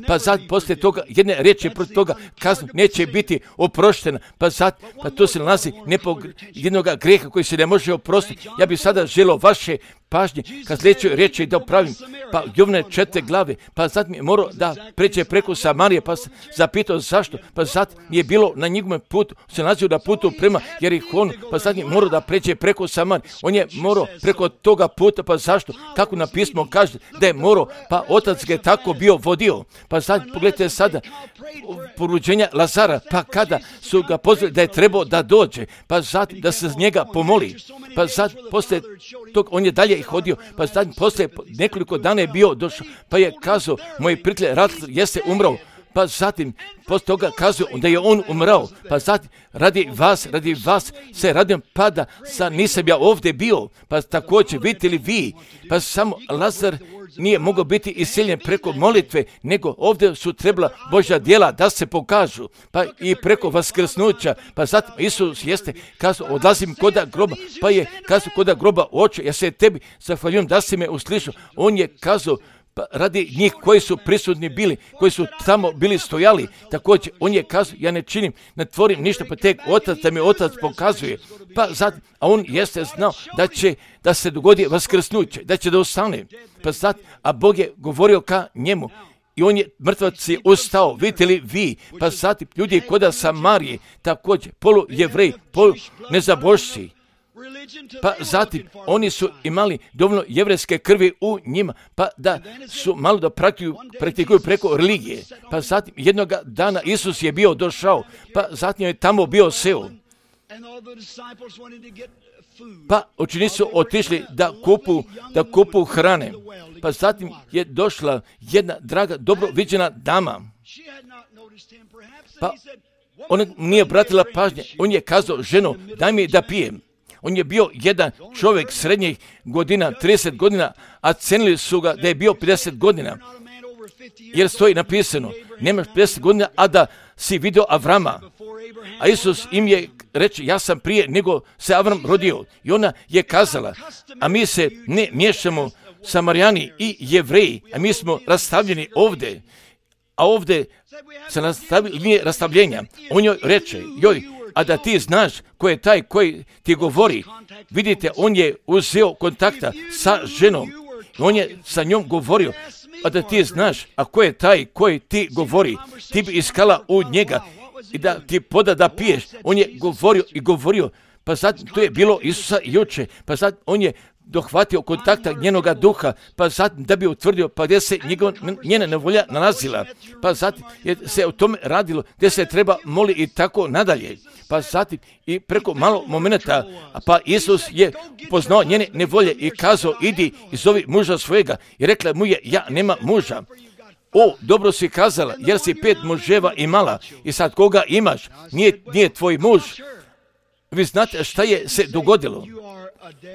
Pa sad poslije toga jedne riječi protiv toga kaznu neće biti oproštena. Pa sad, pa to se nalazi nepog jednog grijeha koji se ne može oprostiti. Ja bih sada želio vaše pažnje kad sljedećoj riječi da opravim. Pa Jovne četiri glave, pa zatim je morao da pređe preko Samarije, pa se zapitao zašto. Pa zatim je bilo na njegovom putu, se nalazio na putu prema Jerihonu, pa zatim je morao da pređe preko Samarije. On je morao preko toga puta, pa zašto? Kako na pismo kaže da je morao, pa otac ga je tako bio vodio. Pa sad pogledajte sada poruđenja Lazara, pa kada su ga pozvali da je trebao da dođe, pa zatim da se z njega pomoli, pa sad poslije tog on je dalje hodio, pa zatim poslije nekoliko dana je bio došao, pa je kazao, moj prijatelj Razlaz jeste umrao, pa zatim poslije toga kazao da je on umrao, pa zatim radi vas, radi vas se radim pada, sa nisam ja ovdje bio, pa također vidite li vi, pa samo Lazar nije mogao biti iseljen preko molitve, nego ovdje su trebala Božja djela da se pokažu, pa i preko vaskrsnuća, pa zatim Isus jeste kazao, odlazim koda groba, pa je kazao koda groba, oče, ja se tebi zahvaljujem da si me uslišao, on je kazao, pa radi njih koji su prisutni bili, koji su tamo bili stojali, također on je kazao, ja ne činim, ne tvorim ništa, pa tek otac da mi otac pokazuje, pa zatim, a on jeste znao da će da se dogodi vaskrsnuće, da će da ostane, pa zatim, a Bog je govorio ka njemu, i on je mrtvac je ustao, vidite li vi, pa zatim ljudi koda Samarije, također polu jevreji, polu nezabošci, pa zatim oni su imali dovoljno jevrejske krvi u njima, pa da su malo da praktikuju, praktikuju preko religije. Pa zatim jednog dana Isus je bio došao, pa zatim je tamo bio seo. Pa učenici su otišli da kupu, da kupu hrane. Pa zatim je došla jedna draga, dobro viđena dama. Pa ona nije obratila pažnje, on je kazao, ženo, daj mi da pijem. On je bio jedan čovjek srednjih godina, trideset godina, a cenili su ga da je bio pedeset godina. Jer stoji napisano, nemaš pedeset godina, a da si vidio Avrama. A Isus im je reći, ja sam prije nego se Avram rodio. I ona je kazala, a mi se ne miješamo Samarijani i Jevreji, a mi smo rastavljeni ovdje, a ovdje se nastavi, nije rastavljenja. On joj reče, joj, a da ti znaš ko je taj koji ti govori. Vidite, on je uzeo kontakta sa ženom, on je sa njom govorio, a da ti znaš, a ko je taj koji ti govori, ti bi iskala u njega i da ti poda da piješ. On je govorio i govorio, pa sad to je bilo Isusa juče, pa sad on je dohvatio kontakta njenoga duha, pa zatim da bi utvrdio pa gdje se njegov, njena nevolja nalazila, pa zatim je se o tome radilo, gdje se treba moli i tako nadalje, pa zatim i preko malo momenta, pa Isus je poznao njene nevolje i kazao, idi i zovi muža svojega, i rekla mu je, ja nema muža. O, dobro si kazala, jer si pet muževa imala i sad koga imaš, nije, nije tvoj muž. Vi znate šta je se dogodilo?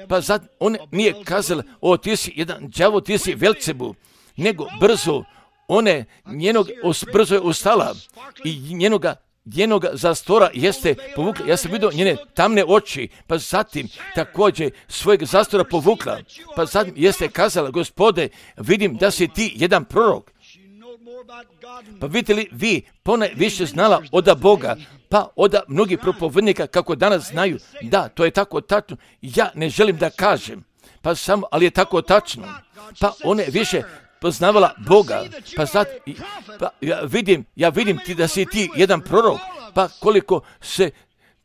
Pa sad on nije kazala, o ti si jedan đavo, ti si Velcebu, nego brzo, one njenog, brzo je ustala i njenoga, njenoga zastora jeste povukla. Ja sam vidio njene tamne oči, pa zatim također svojeg zastora povukla, pa zatim jeste kazala, Gospode, vidim da si ti jedan prorok. Pa vidite li vi pone više znala od Boga, pa od mnogih propovednika kako danas znaju, da, to je tako tačno, ja ne želim da kažem, pa samo, ali je tako tačno, pa one više poznavala Boga, pa sad, pa ja vidim, ja vidim ti da si ti jedan prorok, pa koliko se,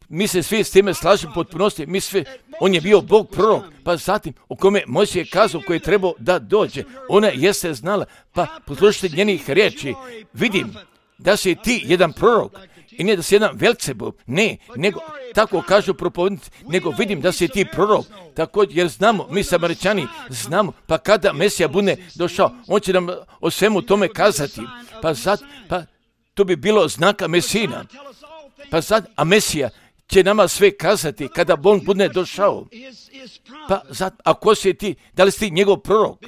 mi se svi s time slažemo potpunosti, mi svi, on je bio Bog prorok, pa zatim o kome Mojsije je kazao koji je trebao da dođe, ona jeste znala, pa poslušajte njenih riječi, vidim da si ti jedan prorok, i ne da si jedan Velcebub, ne, nego, tako kažu propovednici, nego vidim da si ti prorok, također, jer znamo, mi Samaričani znamo, pa kada Mesija bude došao, on će nam o svemu tome kazati, pa sad, pa to bi bilo znaka Mesina, pa sad, a Mesija će nama sve kazati kada on bude došao, pa sad, a ko si ti, da li si ti njegov prorok?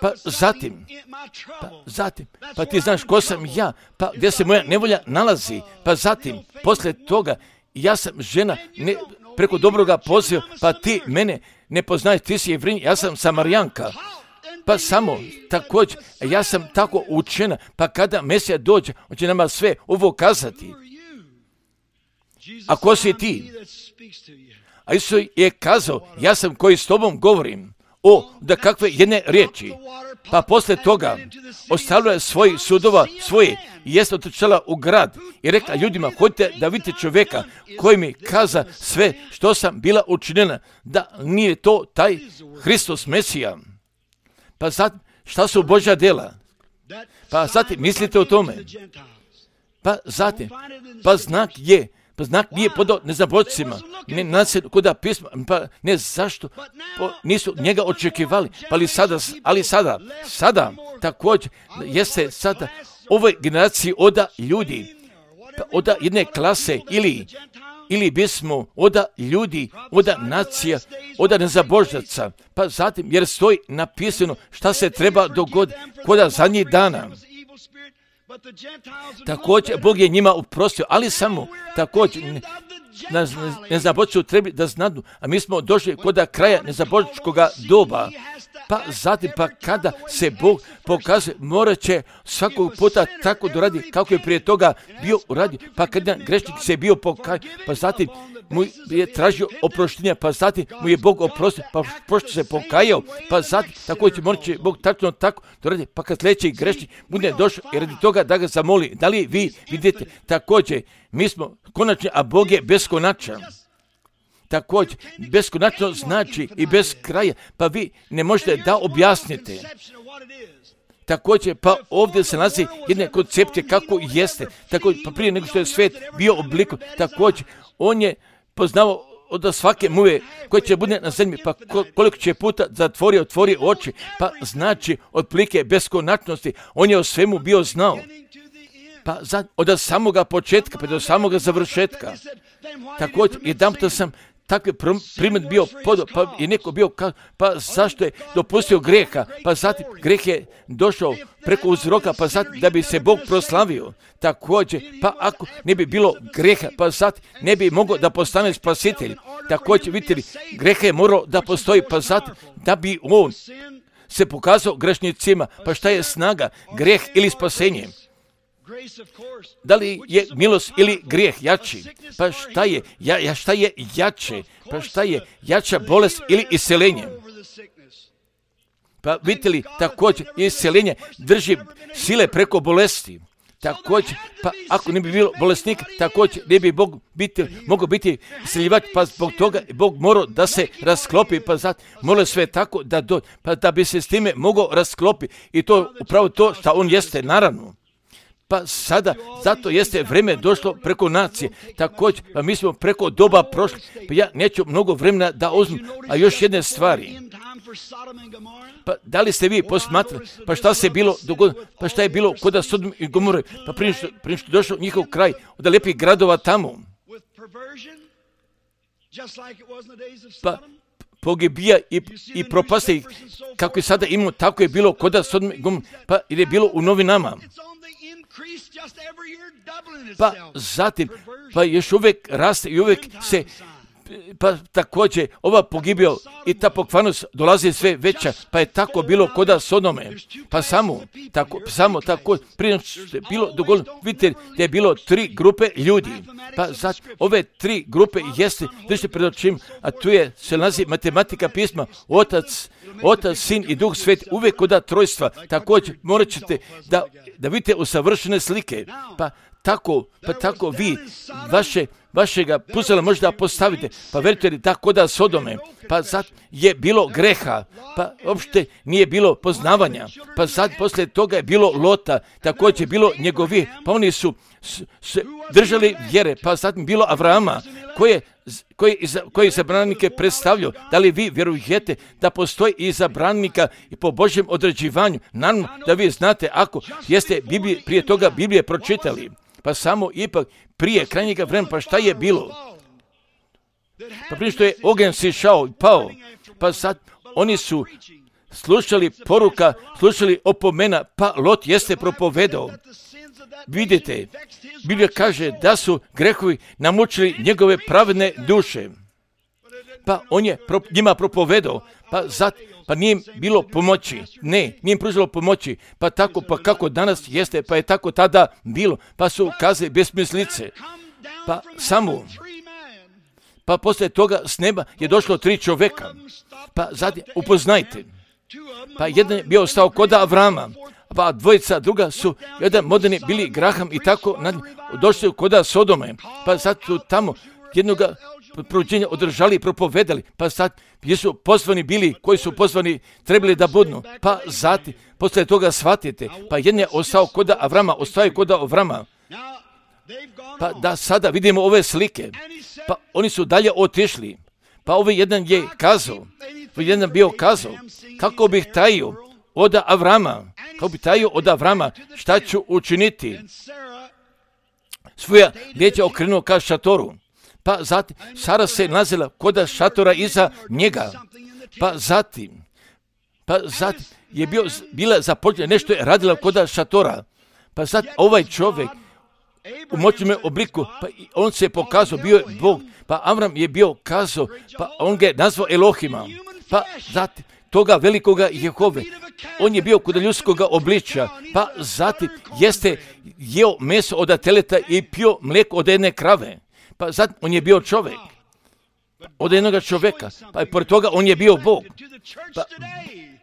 Pa zatim, pa zatim, pa ti znaš ko sam ja, pa gdje se moja nevolja nalazi, pa zatim, poslije toga, ja sam žena ne, preko dobroga poziva, pa ti mene ne poznaješ, ti si Jevrinja, ja sam Samarijanka, pa samo također, ja sam tako učena, pa kada Mesija dođe, on će nama sve ovo kazati. A ko si ti? A Isus je kazao, ja sam koji s tobom govorim. O, da kakve jedne riječi. Pa poslije toga ostavila je svojih sudova svoje i jeste otrčala u grad i rekla ljudima, hoćete da vidite čovjeka koji mi kaza sve što sam bila učinjena, da nije to taj Hristos Mesija. Pa sad, šta su Božja djela? Pa zatim, mislite o tome. Pa zatim, pa znak je, pa znak nije podao neznabošcima, ne nasled kuda pisma, pa ne zašto, po, nisu njega očekivali, pa ali sada, ali sada, sada, također, jeste sada ovoj generaciji oda ljudi, pa oda jedne klase ili, ili bismo oda ljudi, oda nacija, oda nezabožnaca, pa zatim, jer stoji napisano šta se treba dogoditi koda zadnjih dana. Također, Bog je njima oprostio, ali samo također ne, ne, nezabožnicu treba da znadu, a mi smo došli kod kraja nezabožničkog doba, pa zatim, pa kada se Bog pokazuje, morat će svakog puta tako doradi kako je prije toga bio uradio, pa kada grešnik se bio pokajao, pa zatim mu je tražio oproštenja, pa zatim mu je Bog oprostio, pa pošto se pokajao, pa zatim također morat će Bog tačno tako doradi, pa kad sljedeći grešnik bude došao i radi toga da ga zamoli. Da li vi vidite također, mi smo konačni, a Bog je beskonačan. Također, beskonačno znači i bez kraja, pa vi ne možete da objasnite. Također, pa ovdje se nalazi jedne koncepcije kako jeste, također, pa prije nego što je svijet bio obliku, također, on je poznao od svake muve koje će bude na zemlji, pa koliko će puta zatvori, otvori oči, pa znači otplike beskonačnosti, on je o svemu bio znao. Pa za, od samoga početka, pa do samoga završetka. Također, jedan puta sam takvi primjer bio podo, pa je neko bio, ka, pa zašto je dopustio greha, pa zatim greh je došao preko uzroka, pa zatim da bi se Bog proslavio. Također, pa ako ne bi bilo greha, pa zatim ne bi mogao da postane spasitelj. Također, vidite, greh je morao da postoji, pa zatim da bi on se pokazao grešnicima. Pa šta je snaga, greh ili spasenje? Da li je milost ili grijeh jači? Pa šta je, ja, ja, šta je jače? Pa šta je jača bolest ili iseljenje? Pa vidite li, također iseljenje drži sile preko bolesti. Također, pa ako ne bi bilo bolesnika, također ne bi Bog biti, mogao biti iseljivač, pa zbog toga Bog morao da se rasklopi, pa zato morao sve tako da, do, pa da bi se s time mogao rasklopi. I to upravo to što on jeste, naravno. Pa sada, zato jeste vreme došlo preko nacije. Također, pa mi smo preko doba prošli. Pa ja neću mnogo vremena da uzmem, a još jedne stvari. Pa da li ste vi posmatrali, pa šta se bilo dogodilo, pa šta je bilo kod Sodom i Gomore, pa prije što, prije što došao njihov kraj, od lijepih gradova tamo. Pa pogibija i, i propasti ih, kako je sada imamo, tako je bilo kod Sodom i Gomore, pa ili je bilo u novinama. Pa zatim, pa još uvijek raste i uvijek se, pa također ova pogibio i ta pokvarnost dolazi sve veća, pa je tako bilo kod Sodome. Pa samo, tako, samo tako, prije što je bilo dogovoreno, vidite da je bilo tri grupe ljudi. Pa zato ove tri grupe jeste, držite pred očima, a tu je, se nalazi matematika pisma, Otac, Otac, Sin i Duh Sveti, uvijek kod trojstva. Također morat ćete da, da vidite usavršene slike. Pa tako, pa tako vi vaše, vašega puzela možda postavite, pa verujte li da kod Sodome, pa sad je bilo greha, pa uopšte nije bilo poznavanja, pa sad poslije toga je bilo Lota, također je bilo njegovi, pa oni su se držali vjere, pa zatim bilo Avrama, koje koji koji zabranike predstavljaju. Da li vi vjerujete da postoji i zabranika i po Božjem određivanju? Naravno da vi znate ako jeste Biblije, prije toga Biblije pročitali. Pa samo ipak prije krajnjega vremena, pa šta je bilo? Pa prije što je ogen sišao i pao, pa sad oni su slušali poruka, slušali opomena, pa Lot jeste propovedao. Vidite, Biblija kaže da su grehovi namučili njegove pravedne duše. Pa on je pro, njima propovedao, pa zat, pa nije im bilo pomoći. Ne, nije im pružilo pomoći. Pa tako, pa kako danas jeste, pa je tako tada bilo. Pa su kazali besmislice. Pa samo, pa poslije toga s neba je došlo tri čovjeka. Pa zatim, upoznajte. Pa jedan je bio stao kod Avrama, pa dvojica druga su, jedan moderni bili Graham i tako, došli kod Sodome. Pa sad su tamo jednoga provođenja održali i propovedali, pa sad jesu pozvani bili, koji su pozvani trebali da budnu, pa zatim, poslije toga shvatite, pa jedan je ostao kod Avrama, ostao je kod Avrama, pa da sada vidimo ove slike, pa oni su dalje otišli, pa ovaj jedan je kazao, ovaj jedan bio kazao, kako bih tajio od Avrama, kako bih tajio od Avrama, šta ću učiniti, svoja lijeća okrenuo ka šatoru. Pa zatim, Sara se nalazila kod šatora iza njega. Pa zatim, pa zatim je bio, bila započela, nešto je radila kod šatora. Pa zatim ovaj čovjek u moćnom obliku, pa on se je pokazao, bio je Bog. Pa Avram je bio kazao, pa on ga je nazvao Elohima. Pa zatim, toga velikoga Jehove. On je bio kod ljudskoga obličja, pa zatim jeste jeo meso od teleta i pio mlijeko od jedne krave. Pa zatim on je bio čovjek, od jednog čovjeka, pa i pored toga on je bio Bog. Pa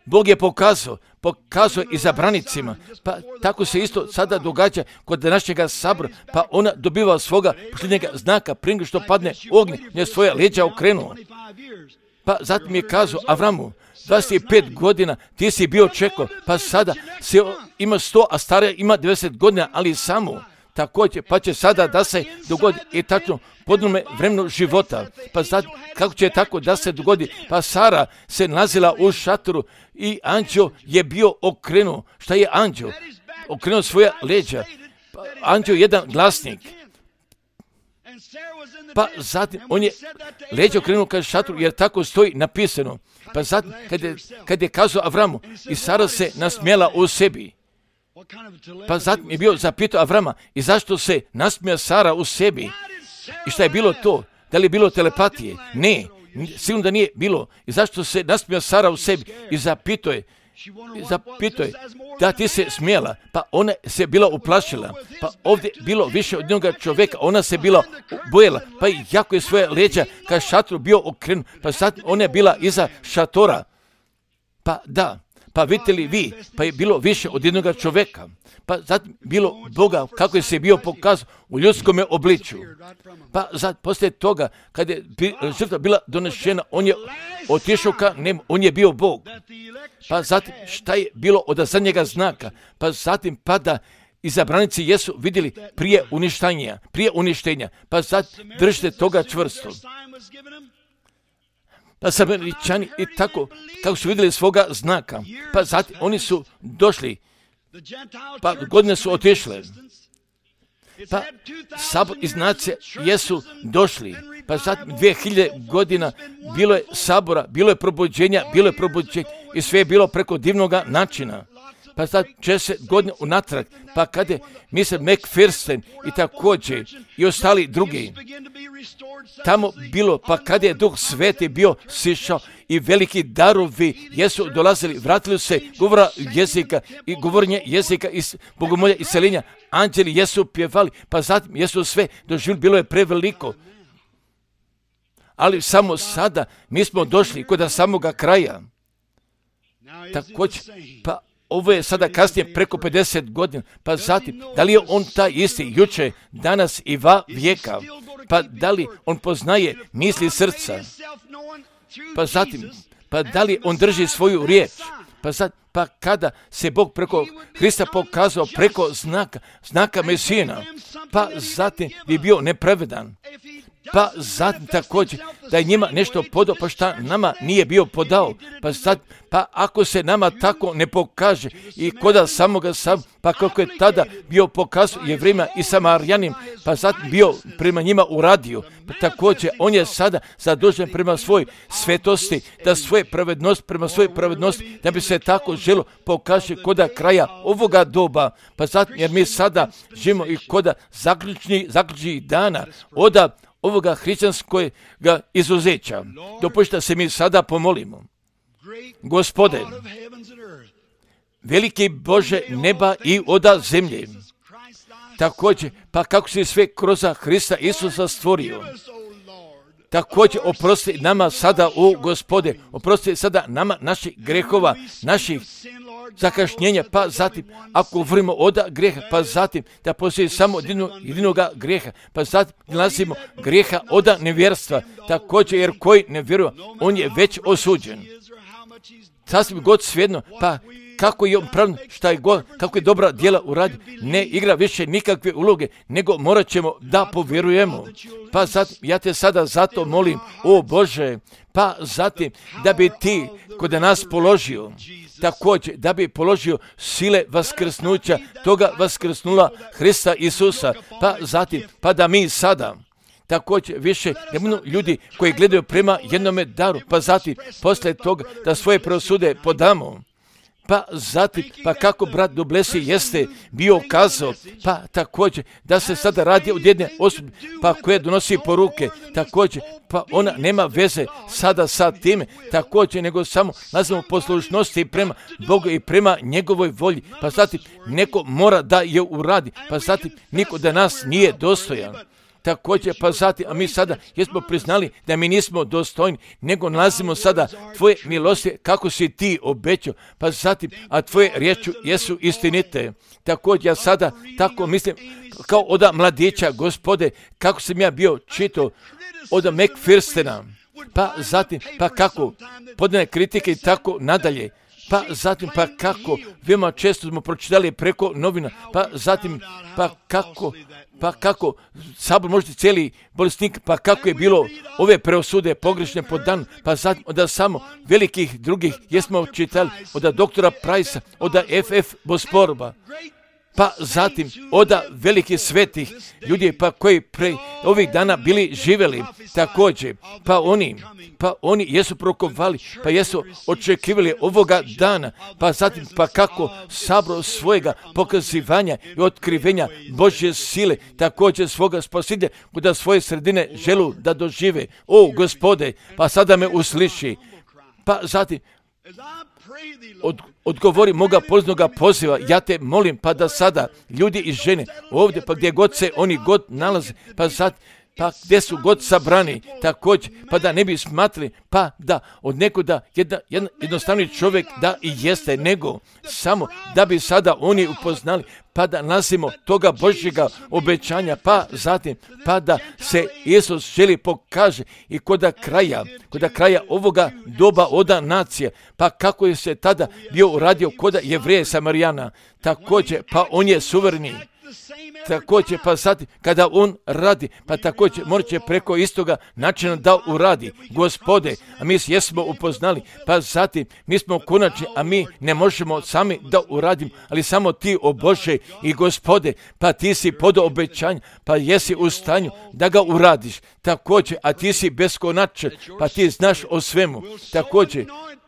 Bog je pokazao, pokazao i zabranicima, pa tako se isto sada događa kod današnjega sabora, pa ona dobiva svoga posljednjega znaka prije nego što padne ognje, nje svoja leđa okrenuo. Pa zatim je kazao Avramu, dvadeset pet godina ti si bio čekao, pa sada se ima sto, a stara ima devedeset godina, ali samo također, pa će sada da se dogodi i tačno podnome vremenu života. Pa sad, kako će tako da se dogodi? Pa Sara se nalazila u šatoru i anđeo je bio okrenuo. Šta je anđeo? Okrenuo svoja leđa. Pa anđeo je jedan glasnik. Pa zatim on je leđa okrenuo ka šatru, jer tako stoji napisano. Pa zatim kad je, kad je kazao Avramu, i Sara se nasmijala u sebi. Pa zatim je bio zapitao Avrama, i zašto se nasmija Sara u sebi? I šta je bilo to? Da li je bilo telepatije? Ne, sigurno da nije bilo. I zašto se nasmija Sara u sebi? I zapitao je, i zapitao je, da ti se smijela, pa ona se bila uplašila, pa ovdje bilo više od njega čovjeka, ona se bila bojela, pa i jako je svoje leđa ka šatru bio okrenut, pa sad ona je bila iza šatora. Pa da, pa vidite li vi, pa je bilo više od jednoga čovjeka, pa zatim bilo Boga kako je se bio pokazao u ljudskome obličju. Pa zatim poslije toga, kad je žrtva bila donešena, on je otišao ka nebu, on je bio Bog. Pa zatim šta je bilo od zadnjega znaka, pa zatim pada izabranici jesu vidjeli prije uništenja, prije uništenja, pa zatim držite toga čvrsto. Pa Samaričani i tako, kako su vidjeli svoga znaka, pa zatim oni su došli, pa godine su otišle, pa sabor iz nacije jesu došli, pa zatim dvije hiljade godina bilo je sabora, bilo je probuđenja, bilo je probuđenja i sve je bilo preko divnoga načina. Pa sad šezdeset godina unatrag, pa kad je mister McPherson i također i ostali drugi tamo bilo, pa kad je Duh Sveti bio sišao i veliki darovi jesu dolazili, vratili se govora jezika i govorenje jezika i bogomolja i seljenja, anđeli jesu pjevali, pa zatim jesu sve doživjeli, bilo je preveliko. Ali samo sada mi smo došli kod samoga kraja. Također, pa ovo je sada kasnije preko pedeset godina, pa zatim, da li je on taj isti juče, danas i va vijeka, pa da li on poznaje misli srca, pa zatim, pa da li on drži svoju riječ, pa zatim, pa kada se Bog preko Hrista pokazao preko znaka, znaka Mesijina, pa zatim bi bio nepravedan. Pa zatim također da je njima nešto podao, pa šta nama nije bio podao. Pa sad, pa ako se nama tako ne pokaže i koda samoga sam, pa kako je tada bio pokazao Jevrejima i Samarijanim, pa zatim bio prema njima uradio. Pa također on je sada zadužen prema svoj svetosti, da svoje pravednost, prema svojoj pravednosti, da bi se tako želo pokaže koda kraja ovoga doba. Pa zatim, jer mi sada živimo i koda zaključnih, zaključnih dana, oda ovoga hrišćanskog izuzeća. Dopustite se mi sada pomolimo. Gospode, veliki Bože neba i oda zemlje, također, pa kako si sve kroz Hrista Isusa stvorio, također oprosti nama sada, o Gospode, oprosti sada nama naših grehova, naših zakašnjenja, pa zatim, ako govorimo od greha, pa zatim da postoji samo jedino, jedinoga greha, pa zatim nalazimo greha od nevjerstva, također jer koji ne vjeruje, on je već osuđen. Sasvim god svejedno, pa kako je on pravilno, šta je god, kako je dobra djela uradio, ne igra više nikakve uloge, nego morat ćemo da povjerujemo. Pa zatim, ja te sada zato molim, o Bože, pa zatim da bi ti kod nas položio, također da bi položio sile vaskrsnuća, toga vaskrsnula Hrista Isusa, pa zatim, pa da mi sada, također više ne budu ljudi koji gledaju prema jednome daru, pa zatim poslije toga da svoje prosude podamo. Pa zatim, pa kako brat Dublesi jeste bio kazao, pa također da se sada radi od jedne osobe, pa koja donosi poruke, također, pa ona nema veze sada sa time, također, nego samo nazvamo poslušnosti prema Bogu i prema njegovoj volji, pa zatim neko mora da je uradi, pa zatim niko da nas nije dostojan. Također, pa zatim, a mi sada jesmo priznali da mi nismo dostojni, nego nalazimo sada tvoje milosti kako si ti obećao, pa zatim, a tvoje riječi jesu istinite. Također, ja sada tako mislim, kao od mladića, Gospode, kako sam ja bio čitao od McPhersona, pa zatim, pa kako podane kritike i tako nadalje. Pa zatim, pa kako, veoma često smo pročitali preko novina, pa zatim, pa kako, pa kako, sabor možete cijeli bolesnik, pa kako je bilo ove preosude pogrešne po dan, pa zatim, od samo velikih drugih jesmo čitali, od doktora Price-a, od F F Bosporba, pa zatim oda velikih svetih ljudi, pa koji pre ovih dana bili živeli također, pa oni, pa oni jesu prokovali, pa jesu očekivali ovoga dana, pa zatim pa kako sabro svojega pokazivanja i otkrivenja Božje sile, također svoga spasitelja, kuda svoje sredine želu da dožive. O Gospode, pa sada me usliši, pa zatim Od, odgovori moga poznoga poziva, ja te molim, pa da sada ljudi i žene ovdje, pa gdje god se oni god nalaze, pa sad, pa gdje su god sabrani, također, pa da ne bi smatrali, pa da od nekoga jedna, jedna, jednostavni čovjek da i jeste, nego samo da bi sada oni upoznali, pa da nasimo toga Božjega obećanja, pa zatim, pa da se Isus želi pokaže i koda kraja, koda kraja ovoga doba oda nacije, pa kako je se tada bio uradio koda Jevreje Samarijana, također, pa on je suvereni. Također, pa sad, kada on radi, pa također morat će preko istoga načina da uradi. Gospode, a mi jesmo upoznali, pa zatim mi smo konačni, a mi ne možemo sami da uradimo, ali samo ti, o Bože i Gospode, pa ti si pod obećanjem, pa jesi u stanju da ga uradiš. Također, a ti si beskonačan, pa ti znaš o svemu. Također,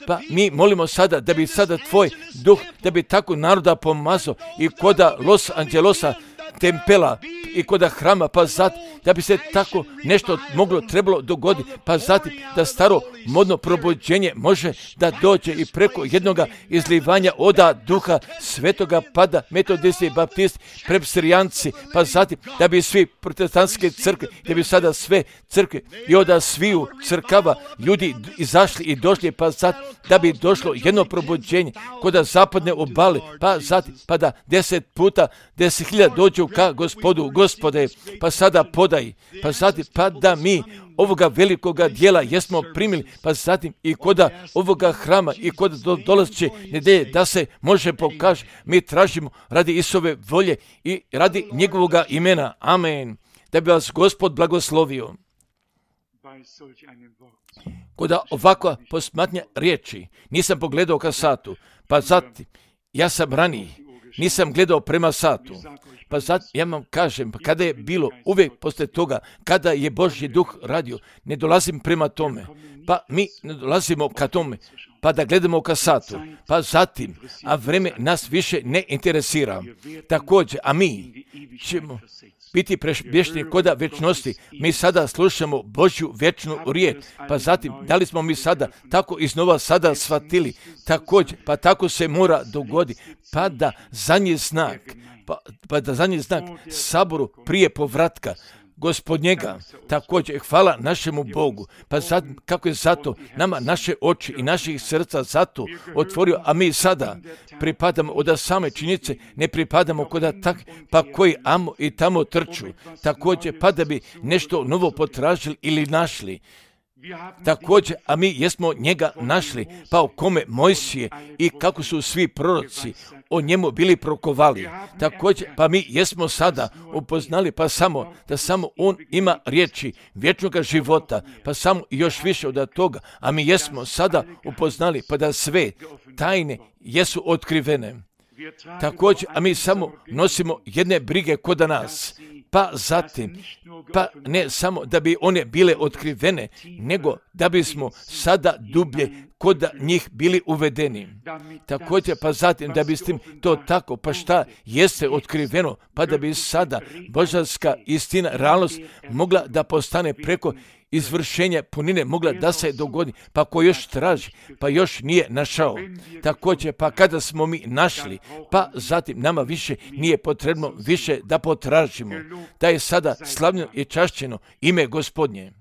pa mi molimo sada da bi sada tvoj duh, da bi tako naroda pomazao i koda Los Angelosa, tempela i koda hrama, pa zatim da bi se tako nešto moglo, trebalo dogoditi, pa zatim da staro modno probuđenje može da dođe i preko jednoga izlivanja oda duha svetoga, pada metodisti, baptisti, presbirijanci, pa zatim da bi svi protestantske crkve, da bi sada sve crkve i oda sviju crkava ljudi izašli i došli, pa zatim da bi došlo jedno probuđenje koda zapadne obale, pa zatim pa da deset puta deset hiljada dođu ka Gospodu. Gospode, pa sada podaj, pa zatim pa da mi ovoga velikoga dijela jesmo primili, pa zatim i koda ovoga hrama i koda do, dolazeće nedelje da se može pokaže, mi tražimo radi Isove volje i radi njegovoga imena. Amen. Da bi vas Gospod blagoslovio. Koda ovakva posmatnja riječi, nisam pogledao ka satu, pa zatim ja sam raniji, nisam gledao prema satu. Pa sad ja vam kažem, pa kada je bilo uvijek poslije toga, kada je Božji duh radio, ne dolazim prema tome, pa mi ne dolazimo ka tome, pa da gledamo ka satu, pa zatim, a vreme nas više ne interesira. Također, a mi ćemo biti prešbješni koda večnosti. Mi sada slušamo Božju vječnu riječ, pa zatim, da li smo mi sada tako iznova sada shvatili, također, pa tako se mora dogoditi, pa da zadnji znak, Pa, pa da zadnji znak saboru prije povratka Gospodnjega, također hvala našemu Bogu, pa sad kako je zato nama naše oči i naših srca zato otvorio, a mi sada pripadamo od same činjenice, ne pripadamo koda tak, pa koji amo i tamo trču, također pa da bi nešto novo potražili ili našli. Također, a mi jesmo njega našli, pa o kome Mojsije i kako su svi proroci o njemu bili prokovali. Također, pa mi jesmo sada upoznali, pa samo da samo on ima riječi vječnog života, pa samo još više od toga, a mi jesmo sada upoznali, pa da sve tajne jesu otkrivene. Također, a mi samo nosimo jedne brige kod nas, pa zatim, pa ne samo da bi one bile otkrivene, nego da bismo sada dublje kod njih bili uvedeni. Također, pa zatim da bi s tim to tako, pa šta jeste otkriveno, pa da bi sada božanska istina, realnost mogla da postane preko izvršenja punine, mogla da se dogodi, pa ko još traži, pa još nije našao. Također, pa kada smo mi našli, pa zatim nama više nije potrebno više da potražimo, da je sada slavljeno i čašćeno ime Gospodnje.